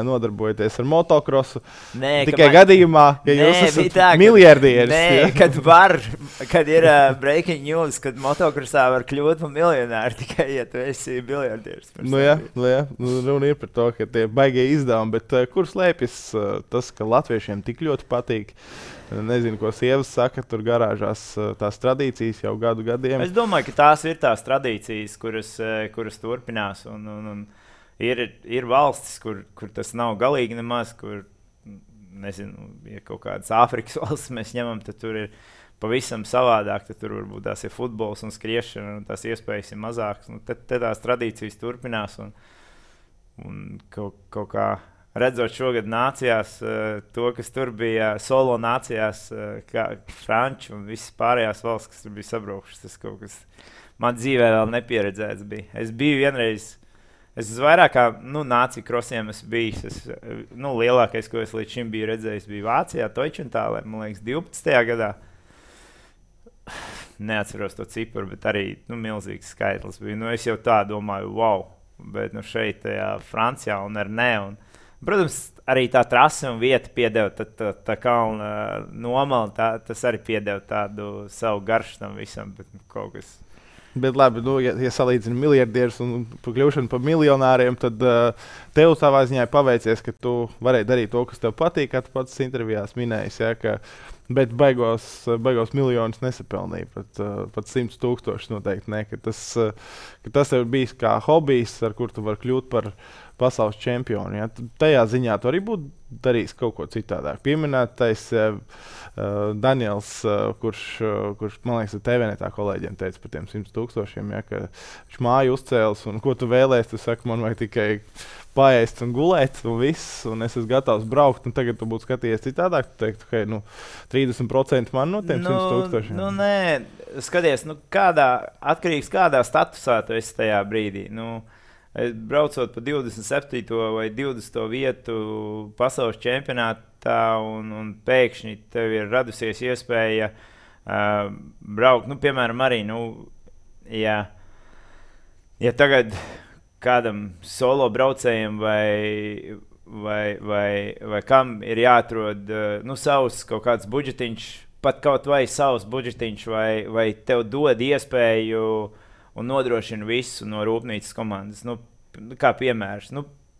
nodarbojoties ar motokrosu. Tikai gadījumā, ja jūs esat miljardieris. Kad ir breaking news, kad motokrosā var kļūt par miljonāru, tikai ja tu esi miljardieris. Jā, runa ir par to, ka tie baigie izdevumi, bet kur slēpjas tas, ka latviešiem tik ļoti patīk nezinu, ko sievas saka, tur garāžās tās tradīcijas jau gadiem. Es domāju, ka tās ir tās tradīcijas, kuras turpinās. Un ir valstis, kur tas nav galīgi nemaz, kur, nezinu, ja kaut kādas Āfrikas valstis mēs ņemam, tad tur ir pavisam savādāk, tad tur varbūt tās ir futbols un skriešana, un tās iespējas ir mazākas. Tad tās tradīcijas turpinās, un kaut kā redzot šogad nācijās, to, kas tur bija solo nācijās, kā Franči un visas pārējās valsts, kas tur bija sabraukšas, tas kaut kas man dzīvē vēl nepieredzēts bija. Es biju vienreiz, es vairāk kā nāciju krosiem esmu bijis. Lielākais, ko es līdz šim biju redzējis, bija Vācijā, Toičentālē, man liekas, 12. gadā. Neatceros to ciparu, bet arī milzīgs skaitlis bija. Es jau tā domāju, wow, bet šeit, Francijā un ar ne. Un, protams, arī tā trase un vieta piedeva, tā kalna nomala, tas arī piedeva tādu savu garšu tam visam, bet kaut kas. Bet labi, ja salīdzina miljardierus un kļūšanu par miljonāriem, tad tev savā ziņā paveicies, ka tu varēji darīt to, kas tev patīk, kā tu pats intervijās minējis, bet beigās miljonus nesapelnīja, pat 100,000 noteikti ne, ka tas ir bijis kā hobijs, ar kur tu vari kļūt par pasaules čempionu. Ja? Tajā ziņā tu arī būtu darījis kaut ko citādāk. Pieminētais Daniels, kurš, man liekas, TV-netā kolēģiem teica par tiem 100,000, ja, ka viņš māju uzcēlis, un ko tu vēlēsi, tu saki, man vajag tikai paēst un gulēt, un viss, un es esmu gatavs braukt, un tagad tu būtu skatījies citādāk, tu teiktu, hei, 30% man no tiem 100,000. Nē, skaties, atkarīgs kādā statusā tu esi tajā brīdī. Braucot pa 27. vai 20. vietu pasaules čempionātā un pēkšņi tev ir radusies iespēja braukt, piemēram, arī, ja tagad kādam solo braucējiem vai kam ir jāatrod savs kaut kāds budžetiņš, pat kaut vai savs budžetiņš, vai tev dod iespēju un nodrošina visu no rūpnīcas komandas. Kā piemērs.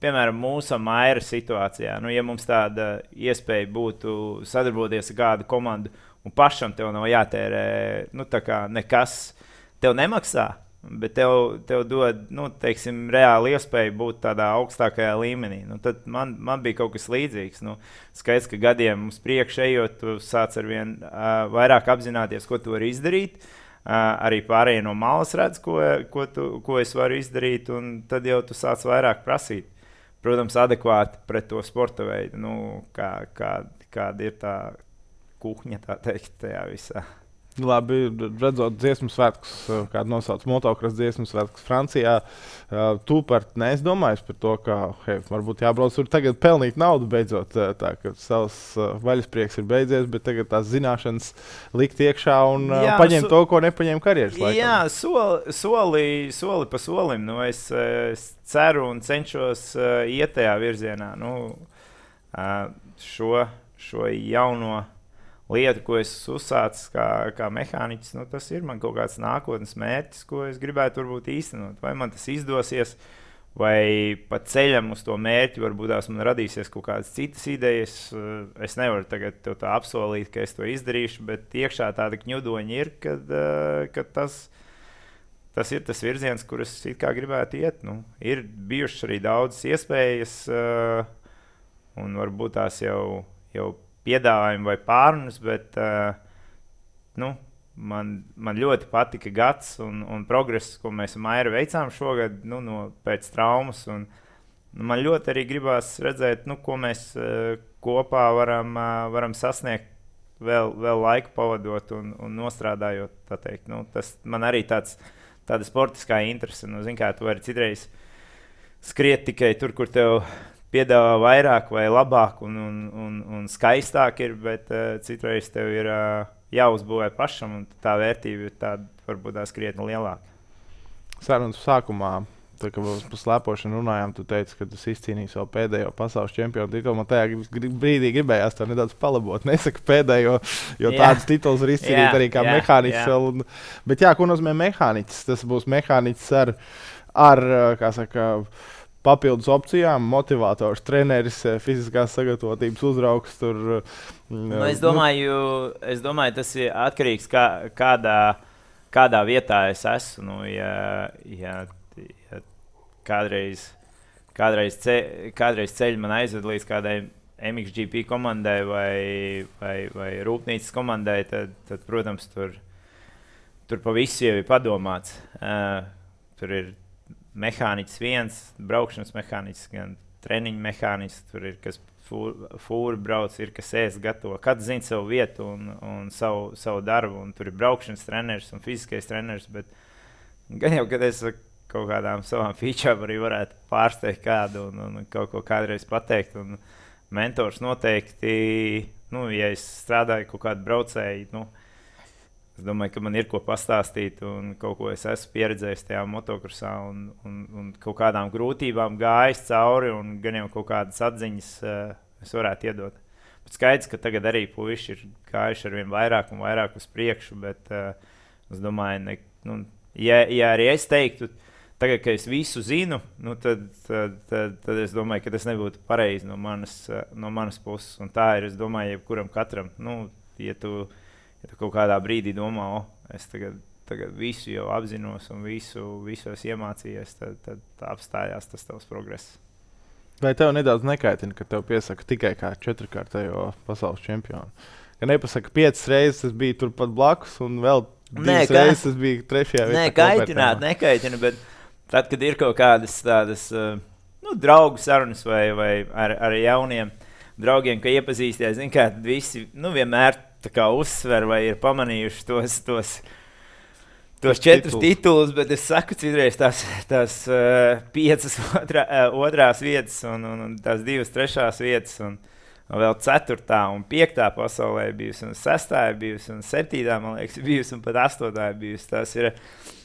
Piemēram, mūsu Maira situācijā. Ja mums tāda iespēja būtu sadarboties ar kādu komandu un pašam tev nav jātērē, tā kā nekas tev nemaksā, bet tev dod, teiksim, reāli iespēju būt tādā augstākajā līmenī. Tad man bija kaut kas līdzīgs. Skaidrs, ka gadiem uz priekšu ejot, tu sāc arvien vairāk apzināties, ko tu vari izdarīt. Arī pārējie no malas redz, ko es varu izdarīt, un tad jau tu sāc vairāk prasīt. Protams, adekvāti pret to sporta veidu, kāda ir tā kuhņa, tā teikt, tajā visā. Labi, redzot dziesmu svētkus, kādu nosauc motocross dziesmu svētkus Francijā, tu neesi domājis par to, ka varbūt jābrauc tur tagad pelnīt naudu beidzot, tā ka savs vaļasprieks ir beidzies, bet tagad tās zināšanas likt iekšā un paņemt to, ko nepaņēma karjeras laikā. Jā, soli pa solim. Es ceru un cenšos iet tajā virzienā. Šo jauno lieta, ko es uzsācu kā mehāniķis, tas ir man kaut kāds nākotnes mērķis, ko es gribētu varbūt īstenot. Vai man tas izdosies, vai pa ceļam uz to mērķi varbūt man radīsies kaut kādas citas idejas. Es nevaru tagad tev tā apsolīt, ka es to izdarīšu, bet iekšā tāda kņudoņa ir, ka tas ir tas virziens, kur es it kā gribētu iet. Ir bijušas arī daudzas iespējas, un varbūt tās jau piedāvājumi vai pārunas, bet man ļoti patika gads un progress, ko mēs ar Mairu veicām šogad pēc traumas. Man ļoti arī gribās redzēt, ko mēs kopā varam sasniegt vēl laiku pavadot un nostrādājot. Tā teikt. Tas man arī tāda sportiskā interese. Kā tu vari citreiz skriet tikai tur, kur tev piedāvā vairāk vai labāk un skaistāk ir, bet citreiz tev ir jāuzbūvē pašam, un tā vērtība ir tāda varbūt tās krietni lielāka. Sarunas sākumā, kad par slēpošanu runājām, tu teici, ka tu izcīnīji savu pēdējo pasaules čempionu titulu. Man tajā brīdī gribējās to nedaudz palabot. Nesaka pēdējo, jo tādas tituls var izcīnīt arī kā mehāniķis. Bet ko nozīmē mehāniķis? Tas būs mehāniķis ar kā saka, papildus opcijām, motivators, treneris, fiziskās sagatavotības uzraugs. Es domāju, tas ir atkarīgs no kādā vietā es esmu. Ja kādreiz ceļš man aizved līdz kādai MXGP komandai vai rūpnīcas komandai, tad protams, tur pa visu jau ir padomāts. Tur ir mehāniķis viens, braukšanas mehāniķis, gan treniņu mehāniķis, tur ir kas fūri brauc, ir kas ēst gatavo. Katrs zina savu vietu un savu darbu, un tur ir braukšanas treneris un fiziskais treneris, bet gan jau, kad es kaut kādām savām featurām arī varētu pārsteigt kādu un kaut ko kādreiz pateikt, un mentors noteikti, ja es strādāju kaut kādu braucēju, es domāju, ka man ir ko pastāstīt un kaut ko es esmu pieredzējis tajā motokrosā un kaut kādām grūtībām gājis cauri un gan jau kaut kādas atziņas es varētu iedot. Bet skaidrs, ka tagad arī puiši ir gājuši ar vien vairāk un vairāk uz priekšu, bet es domāju, ja arī es teiktu, tagad, kad es visu zinu, tad es domāju, ka tas nebūtu pareizi no manas puses. Un tā ir, es domāju, jebkuram katram, ja tu kaut kādā brīdī domā, es tagad visu jau apzinos un visos iemācījies, tad apstājās tas tavs progress. Vai tev nedaudz nekaitina, ka tev piesaka tikai kā 4-kārtējo pasaules čempionu? Ka nepasaka 5 reizes, es biju turpat blakus, un vēl 2 reizes es biju 3. vietā. Nekaitina, bet tad, kad ir kaut kādas tādas draugu sarunas vai ar jauniem draugiem, ka iepazīsties, zin kā, tad visi vienmēr tā kā uzsver vai ir pamanījuši tos 4 titulus, bet es saku, citreiz tās 5 otrās vietas un tās 2 trešās vietas un vēl 4. un 5. pasaulē bijusi un 6. bijusi un 7. man liekas bijusi un pat 8. bijusi. Tās ir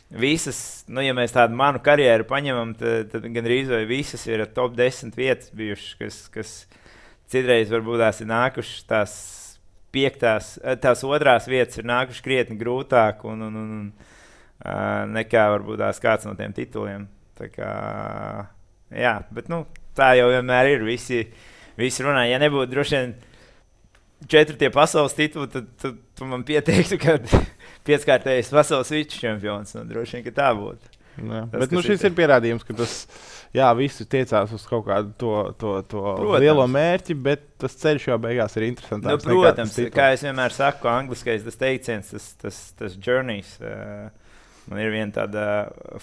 visas, ja mēs tādu manu karjeru paņemam, tad gandrīz vai visas ir top 10 vietas bijušas, kas citreiz varbūt tās ir nākušas tās otrās vietas ir nākušas krietni grūtāk nekā varbūt tās kāds no tiem tituliem. Tā kā, jā, bet tā jau vienmēr ir. Visi runā, ja nebūtu droši vien 4 pasaules tituli, tad tu man pieteiktu, ka 5-kārtējais pasaules viččempions. Droši vien, ka tā būtu. Jā, bet šis ir pierādījums, ka tas, visi tiecās uz kaut kādu to lielo mērķi, bet tas ceļš jau beigās ir interesantāks. Protams, kā es vienmēr saku, angliskais tas teiciens, tas journeys. Man ir viena tāda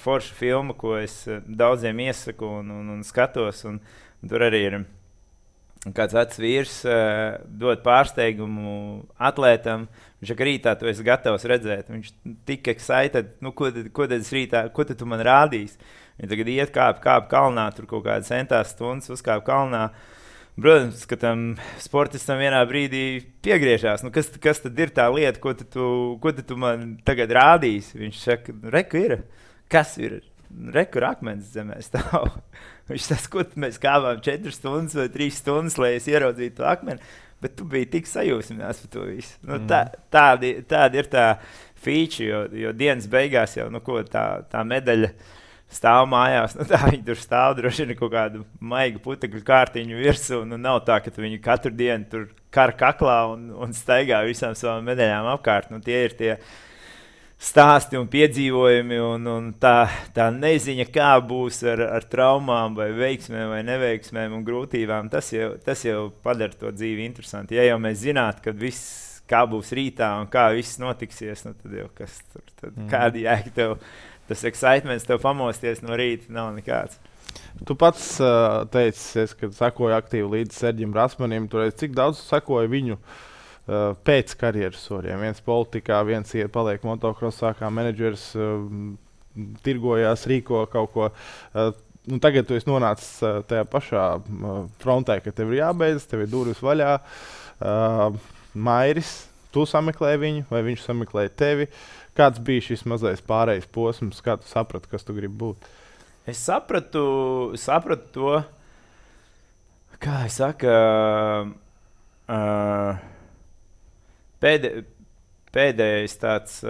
forša filma, ko es daudziem iesaku un skatos, un tur arī ir kāds vecs vīrs dod pārsteigumu atlētam. Viņš saka, rītā tu esi gatavs redzēt. Viņš tik excited, ko tad es rītā, ko tad tu man rādīsi? Viņi tagad iet kāp kalnā, tur kaut kādas centās stundas uzkāp kalnā. Protams, ka tam sportistam vienā brīdī piegriežās. Kas tad ir tā lieta, ko tu man tagad rādīsi? Viņš saka, reku ir. Kas ir? Reku ir akmens zemē stāv. Viņš tas, ko mēs kāpām 4 stundas vai 3 stundas, lai es ieraudzītu to akmeni. Bet tu biji tik sajūsmināts par to visu. Tāda ir tā feature, jo dienas beigās jau tā medaļa stāv mājās. Tā viņi tur stāv droši vien kaut kādu maigu putekļu kārtiņu virsū. Nav tā, ka viņi katru dienu tur kara kaklā un staigā visām savām medaļām apkārt. Tie ir tie stāsti un piedzīvojumi un tā neziņa, kā būs ar traumām vai veiksmēm vai neveiksmēm un grūtībām, tas jau padara to dzīvi interesanti. Ja jau mēs zinātu, ka viss kā būs rītā un kā viss notiksies, tad jau kas tur, kādi jēga tev, tas excitements tev pamosties no rīta nav nekāds. Tu pats teici, ka sekoji aktīvi līdz Serģim Rasmanim, cik daudz sekoji viņu pēc karjeras soriem. Viens politikā, viens paliek motokrosā kā menedžers, tirgojās, rīko kaut ko. Tagad tu esi nonācis tajā pašā frontē, ka tev ir jābeidz, tev ir durvis vaļā. Mairis, tu sameklēji viņu vai viņš sameklēja tevi? Kāds bija šis mazais pārējais posms, kā tu saprati, kas tu gribi būt? Es sapratu to, kā es saku, pēdējais tāds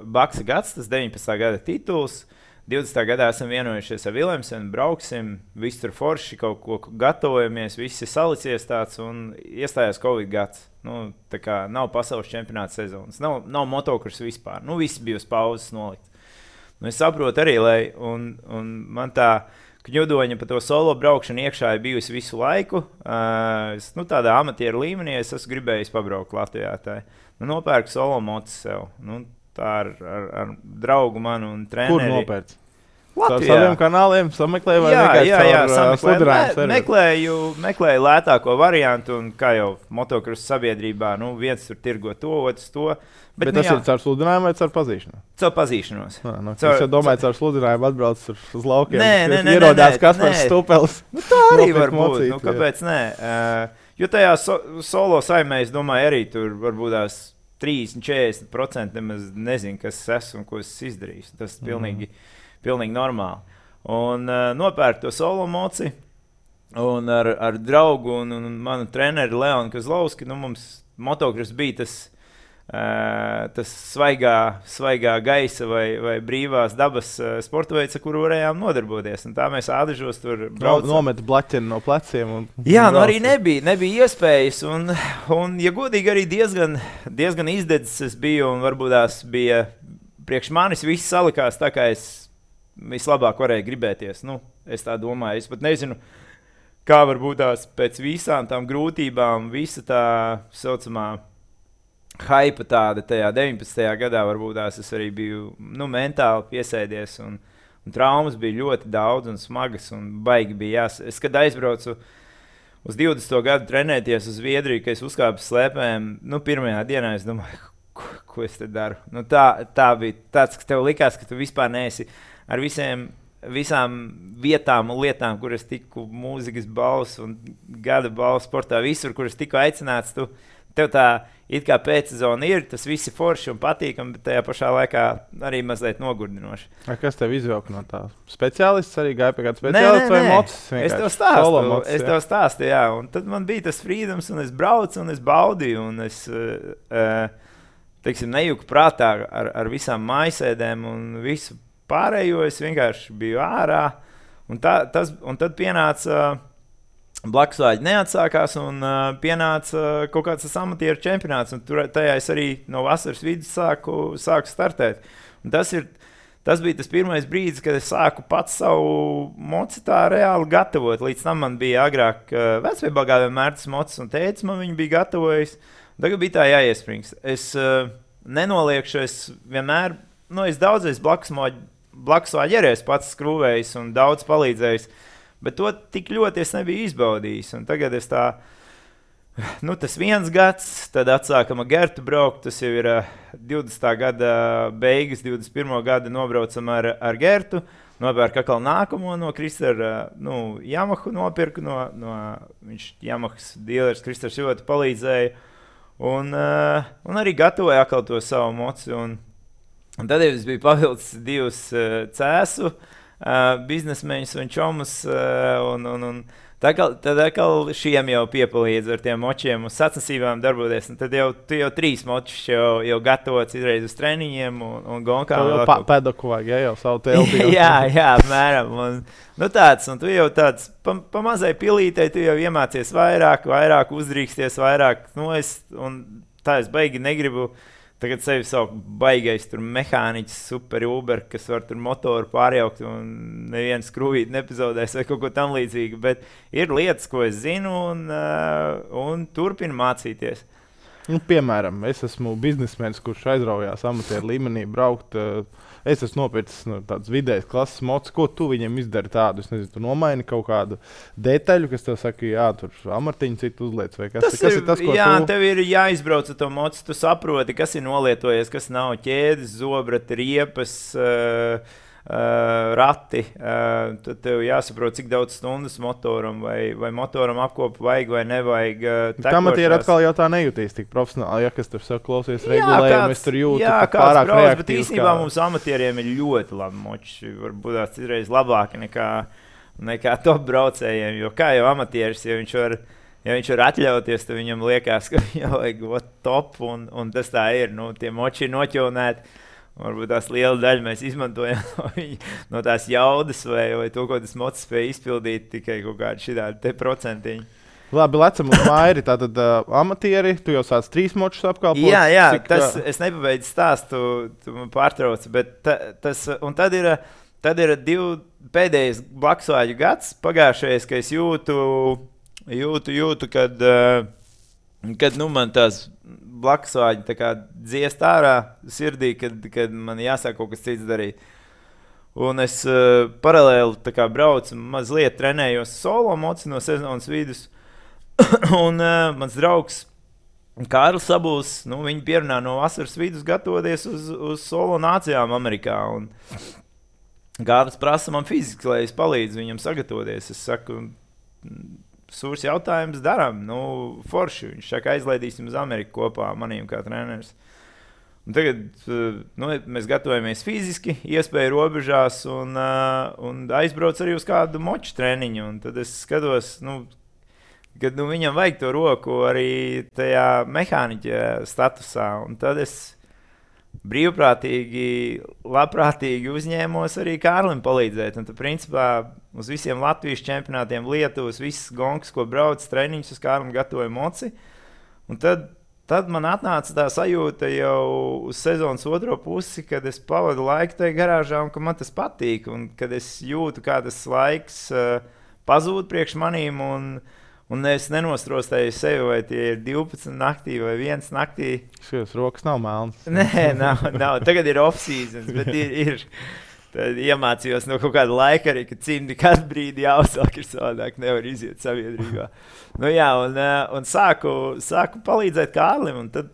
Baksa gads, tas 19. gada tituls, 20. gadā esam vienojušies ar Vilemsenu, brauksim, visi tur forši kaut ko gatavojamies, viss ir salicies tāds un iestājās Covid gads. Nu, tā kā nav pasaules čempionāta sezonas, nav motokurs vispār. Nu, viss bija uz pauzes nolikts. Nu, es saprotu arī, un man tā kņudoņa pa to solo braukšanu iekšā ir bijusi visu laiku. Nu, tādā amatieru līmenī es esmu gribējis pabraukt Latvijā. Nu, nopērku solo mocu sev. Nu, tā ar draugu manu un treneri. Kur nopērts? Latvijā. Ar saviem kanāliem sameklēju vai vienkārši sameklēju. Meklēju lētāko variantu un kā jau motokrusu sabiedrībā, nu viens tur tirgo to, otrs to. Bet tas ir caur sludinājumu vai caur pazīšanu? Caur pazīšanos. Es jau domāju, caur sludinājumu atbrauc uz laukiem. Ierodās Kaspars Stupels. Nu, tā arī var būt. Nu, kāpēc nē? Jo tajā solo saimē, es domāju, arī tur varbūt tās 30-40% nemaz nezinu, kas es esmu un ko es izdarīju. Tas ir pilnīgi normāli. Un nopērku to solo moci un ar draugu un manu treneri Leonu Kozlovski. Nu, mums motokurs bija tas svaigā gaisa vai brīvās dabas sporta veids, ar kuru varējām nodarboties. Un tā mēs ādažos tur braucam. Nometa blaķeni no pleciem. Jā, nu arī nebija iespējas. Un ja godīgi, arī diezgan izdedzis es biju. Un varbūt tās bija priekš manis viss salikās tā, kā es vislabāk varēju gribēties. Nu, es tā domāju. Es pat nezinu, kā varbūt tās pēc visām tām grūtībām, visa tā saucamā hype tāda tajā 19. gadā varbūt tās es arī biju mentāli piesēdies un traumas bija ļoti daudz un smagas un baigi bija Es, kad aizbraucu uz 20. gadu trenēties uz Zviedriju, ka es uzkāpu slēpēm, pirmajā dienā es domāju, ko es te daru. Nu, tā bija tāds, ka tev likās, ka tu vispār neesi ar visām vietām un lietām, kuras tiku mūzikas balvas un gada balvas sportā, visur, kuras tiku aicināts, tev tā it kā pēcsezona ir, tas viss ir forši un patīkami, bet tajā pašā laikā arī mazliet nogurdinoši. Kas tev izvilka no tā? Speciālists arī gāja pie kāda speciālista vai mocis? Es tev stāstu, jā. Un tad man bija tas freedoms un es braucu un es baudīju un es, nejuku prātā ar visām mājasēdēm un visu pārējo. Es vienkārši biju ārā un tad pienāca Blakusvāģi neatsākās un pienāca kaut kāds amatieru čempionāts. Tajā es arī no vasaras vidus sāku startēt. Un tas bija tas pirmais brīdis, kad es sāku pats savu moci tā reāli gatavot. Līdz tam man bija agrāk vecviebalgā vienmēr tas mocis un tētis man viņu bija gatavojis. Tagad bija tā jāiesprings. Es nenoliekšu, es vienmēr, es daudzreiz Blakusvāģi arī es pats skrūvējis un daudz palīdzējis. Bet to tik ļoti es nebiju izbaudījis. Un tagad es tas viens gads, tad atsākam ar Gertu braukt. Tas jau ir 20. gada beigas, 21. gada nobraucam ar Gertu. Nopērku atkal nākamo no Kristera, Yamahu nopirku. Viņš Yamahas dealers Kristers ļoti palīdzēja. Un arī gatavoja atkal to savu moci. Un tad es biju pavilcis 2 cēsu. Biznesmeņus un čomus, un tad atkal šiem jau piepalīdz ar tiem močiem un sacensībām darboties. Un tad tu jau 3 močus jau gatavots izreiz uz treniņiem un gonkām. Jau pedoku vajag, jau savu telpi. jā, apmēram. Un tu jau tāds pa mazai pilītei, tu jau iemācies vairāk uzdrīksties, vairāk noest. Un tā es baigi negribu. Tagad sevi sauc baigais mehāniķis, super Uber, kas var tur motoru pārjaukt un nevienu skrūvīti nepazaudēs vai kaut ko tam līdzīgu. Bet ir lietas, ko es zinu un turpinu mācīties. Piemēram, es esmu biznesmenis, kurš aizraujās amatieru līmenī braukt. Es esmu nopircis tādas vidējas klases mocis. Ko tu viņiem izdari tādu? Es nezinu, tu nomaini kaut kādu detaļu, kas tev saka, jā, tur amartiņu citu uzliec. Vai kas ir tas, ko tev ir jāizbrauc ar to moci. Tu saproti, kas ir nolietojies, kas nav ķēdes, zobrati, riepas, rati. Tad tev jāsaprot, cik daudz stundas motoram vai motoram apkopu vajag vai nevajag. Amatieri atkal jau tā nejūtīs tik profesionāli, ja kas tur saka, klausies regulējumu, es tur jūtu pārāk reaktīvs. Bet īstenībā mums amatieriem ir ļoti labi moči. Varbūt tās citreiz labāki nekā top braucējiem, jo kā jau amatieris, ja viņš var atļauties, tad viņam liekas, ka viņam vajag top, un tas tā ir. Tie moči ir noķilnēti. Varbūt tās liela daļa mēs izmantojam no tās jaudas, vai to, ko tas mocis spēja izpildīt, tikai kaut kādi šitādi procentiņi. Labi, lecam uz Mairi. Tātad amatieri, tu jau sāc 3 močus apkalpot. Jā, es nepabeidzu stāstu, tu man pārtrauc, bet tad ir 2 pēdējais blakusvāģu gads pagājušajais, ka es jūtu, kad man tās blakusvāģi tā kā dziest ārā sirdī, kad man jāsāk kaut kas cits darīt. Un es paralēli tā kā braucu, mazliet trenējos solo moci no sezonas vidus. Un mans draugs Kārlis Sabuls, viņi pierunā no vasaras vidus gatavoties uz solo nācijām Amerikā. Un Kārlis prasa man fiziski, lai es palīdzu viņam sagatavoties. Es saku, sūrs jautājums darām, forši. Viņš saka, aizlaidīsim uz Ameriku kopā manīm kā treneris. Un tagad mēs gatavojamies fiziski, iespēju robežās un aizbrauc arī uz kādu moču treniņu. Un tad es skatos, kad viņam vajag to roku arī tajā mehāniķa statusā. Un tad es brīvprātīgi, labprātīgi uzņēmos arī Kārlim palīdzēt. Un tad, principā, uz visiem Latvijas čempionātiem Lietuvas, visas gonkas, ko brauc treniņus uz Kārlim gatavoja moci. Un tad man atnāca tā sajūta jau uz sezonas otro pusi, kad es pavadu laiku tajā garāžā un ka man tas patīk. Un kad es jūtu, kā tas laiks pazūd priekš manīm un es nenostrostēju sevi, vai tie ir 12 naktī vai 1 naktī. Šīs rokas nav melnas. Nē, nav. Tagad ir off-seasons, bet ir. Tad iemācījos no kaut kāda laika arī, ka cimdi kādu brīdi jāuzsāk ir savādāk, nevar iziet sabiedrībā. Un sāku palīdzēt Kārlim, un tad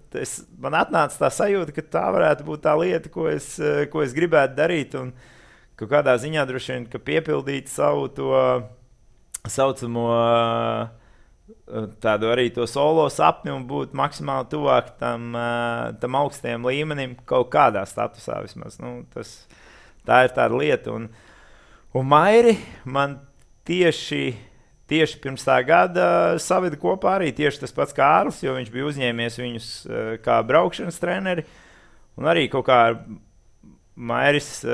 man atnāca tā sajūta, ka tā varētu būt tā lieta, ko es gribētu darīt, un kaut kādā ziņā droši vien, ka piepildīt savu to saucamo tādu arī to solo sapni un būt maksimāli tuvāk tam augstajam līmenim kaut kādā statusā vismaz. Tā ir tāda lieta. Un Mairi man tieši pirms tā gada saveda kopā arī tieši tas pats Kārlis, jo viņš bija uzņēmies viņus kā braukšanas treneri. Un arī kaut kā Mairis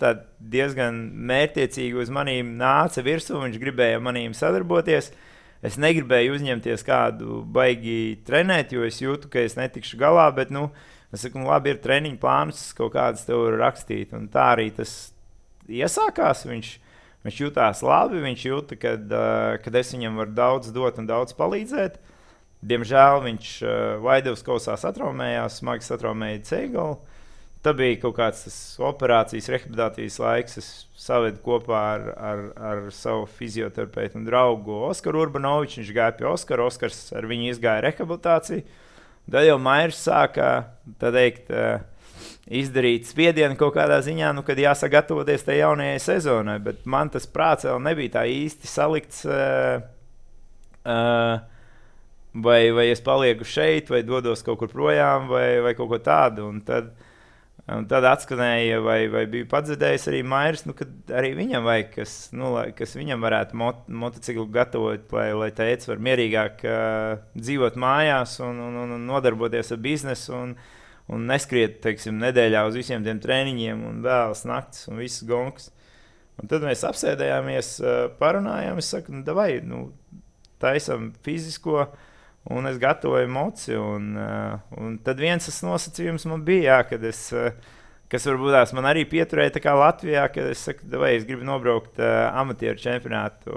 tā diezgan mērķtiecīgi uz manīm nāca virsū, viņš gribēja manīm sadarboties. Es negribēju uzņemties kādu baigi trenēt, jo es jūtu, ka es netikšu galā, bet, es saku, labi, ir treniņu plānus, kaut kādas tev var rakstīt. Un tā arī tas iesākās, viņš jutās labi, viņš jūta, kad es viņam varu daudz dot un daudz palīdzēt. Diemžēl viņš Vaidavas kausā satraumējās, smagi satraumēja ceļgalu. Tā bija kaut kāds operācijas, rehabilitācijas laiks. Es savedu kopā ar savu fizioterapeitu un draugu Oskaru Urbanoviču. Viņš gāja pie Oskara, Oskars ar viņu izgāja rehabilitāciju. Tad jau Mairis sāka izdarīt spiedienu kaut kādā ziņā, kad jāsagatavoties tajā jaunajai sezonai. Bet man tas prāts vēl nebija tā īsti salikts, vai es palieku šeit, vai dodos kaut kur projām, vai kaut ko tādu. Un tad atskanēja, vai bija padzirdējis arī Mairis, kad arī viņam vajag, kas viņam varētu motociklu gatavot, lai teica var mierīgāk dzīvot mājās un nodarboties ar biznesu un neskriet, teiksim, nedēļā uz visiem tiem treniņiem un vēlas naktis un visas gonkas. Un tad mēs apsēdējāmies, parunājām, es saku, davai, taisam fizisko, un es gatavoju moci, un tad viens tas nosacījums man bija, kas varbūt man arī pieturēja tā kā Latvijā, kad es saku, vai es gribu nobraukt amatieru čempionātu.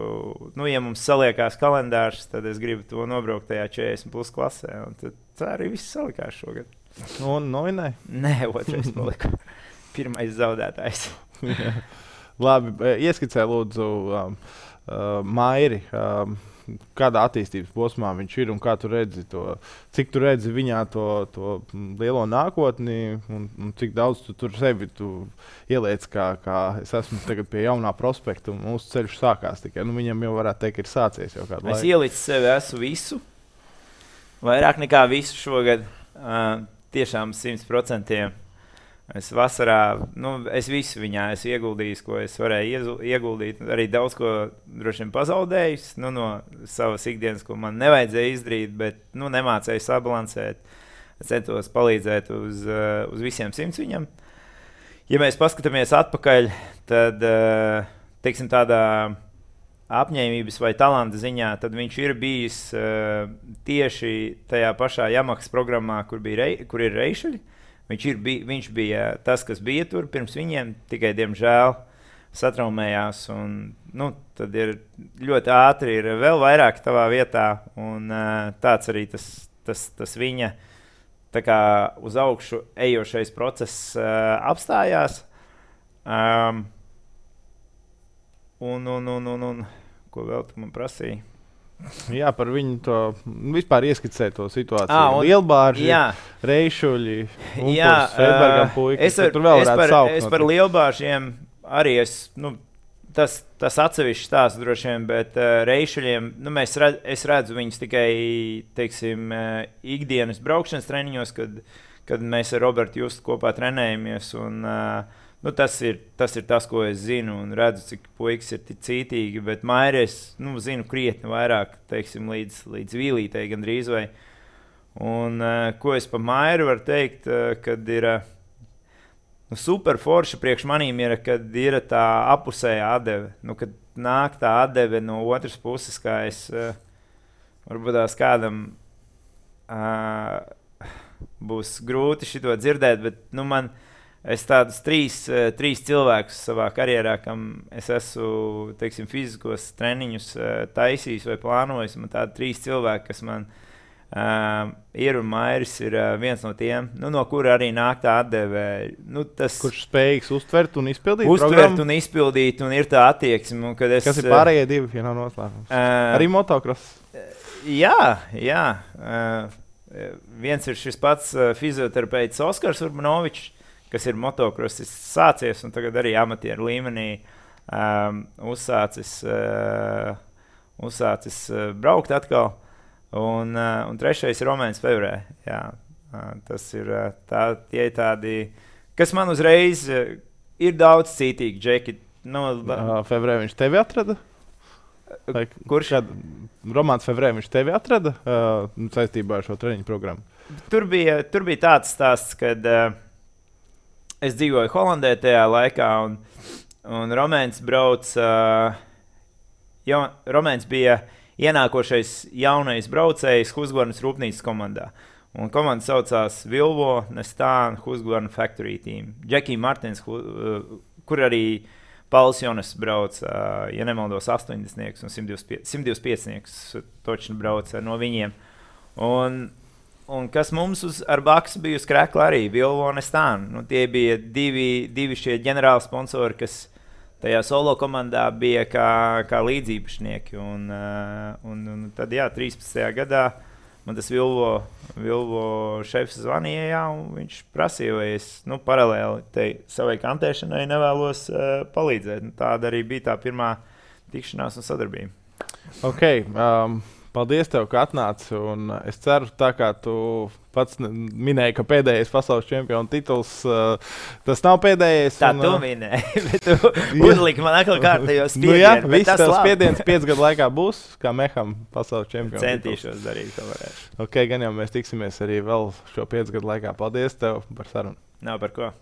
Ja mums saliekās kalendārs, tad es gribu to nobraukt tajā 40+ klasē, un tad tā arī viss salikās šogad. Un novinēja? Nē, otrais paliku. Pirmais zaudētājs. Labi, ieskicē lūdzu Mairi. Kādā attīstības posmā viņš ir un kā tu redzi to, cik tu redzi viņā to lielo nākotni un cik daudz tu tur sevi ieliec, kā es esmu tagad pie jaunā prospekta un mūsu ceļš sākās tikai. Viņam jau varētu teikt, ir sācies jau kādu laiku. Es ielicu sevi, esmu visu, vairāk nekā visu šogad, tiešām 100%. Es vasarā, es visu viņā esmu ieguldījis, ko es varēju ieguldīt. Arī daudz ko droši vien pazaudējis no savas ikdienas, ko man nevajadzēja izdarīt, bet nemācēju sabalansēt. centos palīdzēt uz visiem 100 viņam. Ja mēs paskatāmies atpakaļ, tad, teiksim, tādā apņēmības vai talanta ziņā, tad viņš ir bijis tieši tajā pašā Yamahas programmā, kur ir reišuļi. Viņš bija tas, kas bija tur pirms viņiem, tikai, diemžēl, satraumējās. Un, tad ir ļoti ātri, ir vēl vairāk tavā vietā, un tāds arī tas viņa tā kā uz augšu ejošais process apstājās. Un ko vēl tu man prasīji? Jā, par viņu to vispār ieskicēja to situāciju. Lielbārži, reišuļi, Freibergam puikas. Es par lielbāržiem arī tas atsevišķi stāsts droši vien, bet reišuļiem, es redzu viņus tikai, teiksim, ikdienas braukšanas treniņos, kad mēs ar Robertu Justu kopā trenējamies. Un, tas ir tas, ko es zinu, un redzu, cik puikas ir cītīgi, bet Mairi es zinu krietni vairāk, teiksim, līdz vīlītei gandrīz vai. Un ko es pa Mairi varu teikt, kad ir super forša priekš manīm ir, kad ir tā apusējā atdeve. Kad nāk tā atdeve no otras puses, kā es varbūt tās kādam būs grūti šito dzirdēt, bet es tādus trīs cilvēkus savā karjerā, kam es esmu, teiksim, fiziskos treniņus taisījis vai plānojis. Man tādi 3 cilvēki, kas man ir, un Mairis ir viens no tiem, no kura arī nāk tā atdeve. Kurš spējīgs uztvert un izpildīt programmu? Un izpildīt, un ir tā attieksme. Kas ir pārējie 2, ja nav noslēpums? Arī motocross? Jā. Viens ir šis pats fizioterapeits Oskars Urbanovičs, kas ir motocrossis sācies un tagad arī amatieru līmenī uzsācis braukt atkal. Un trešais ir Romēns Fevrē. Jā, tas ir tie tādi, kas man uzreiz ir daudz cītīgi džeki. Fevrē viņš tevi atrada? Kurš? Romāns Fevrē viņš tevi atrada saistībā ar šo treniņu programmu? Tur bija tāds stāsts, kad es dzīvoju Holandē tajā laikā, un Romēns Romēns bija ienākošais jaunais braucējs Husqvarnas rūpnīcas komandā. Un komanda saucās Vilvo Nestāna Husqvarna Factory Team. Džekija Martins, kur arī Pauls Jonas brauc, ja nemaldos, 80 un 125 točni brauc no viņiem. Un kas mums ar Baksu bija uz krekla arī, Vilvo Nestāna. Tie bija divi šie ģenerāli sponsori, kas tajā solo komandā bija kā līdzīpašnieki. Un tad, 13. gadā man tas Vilvo šefs zvanīja, un viņš prasīja, vai es paralēli savai kantēšanai nevēlos palīdzēt. Tāda arī bija tā pirmā tikšanās un sadarbība. Okay, paldies tev, ka atnāci, un es ceru, tā kā tu pats minēji, ka pēdējais pasaules čempiona tituls, tas nav pēdējais. Tā tu minēji, bet tu uzliki man atkal kārtējos spiedienu. Viss tas spiediens 5 gadu laikā būs, kā Meham pasaules čempiona. Centīšos darīt, ko varēšu. Ok, gan jau mēs tiksimies arī vēl šo 5 gadu laikā. Paldies tev par sarunu. Nav par ko.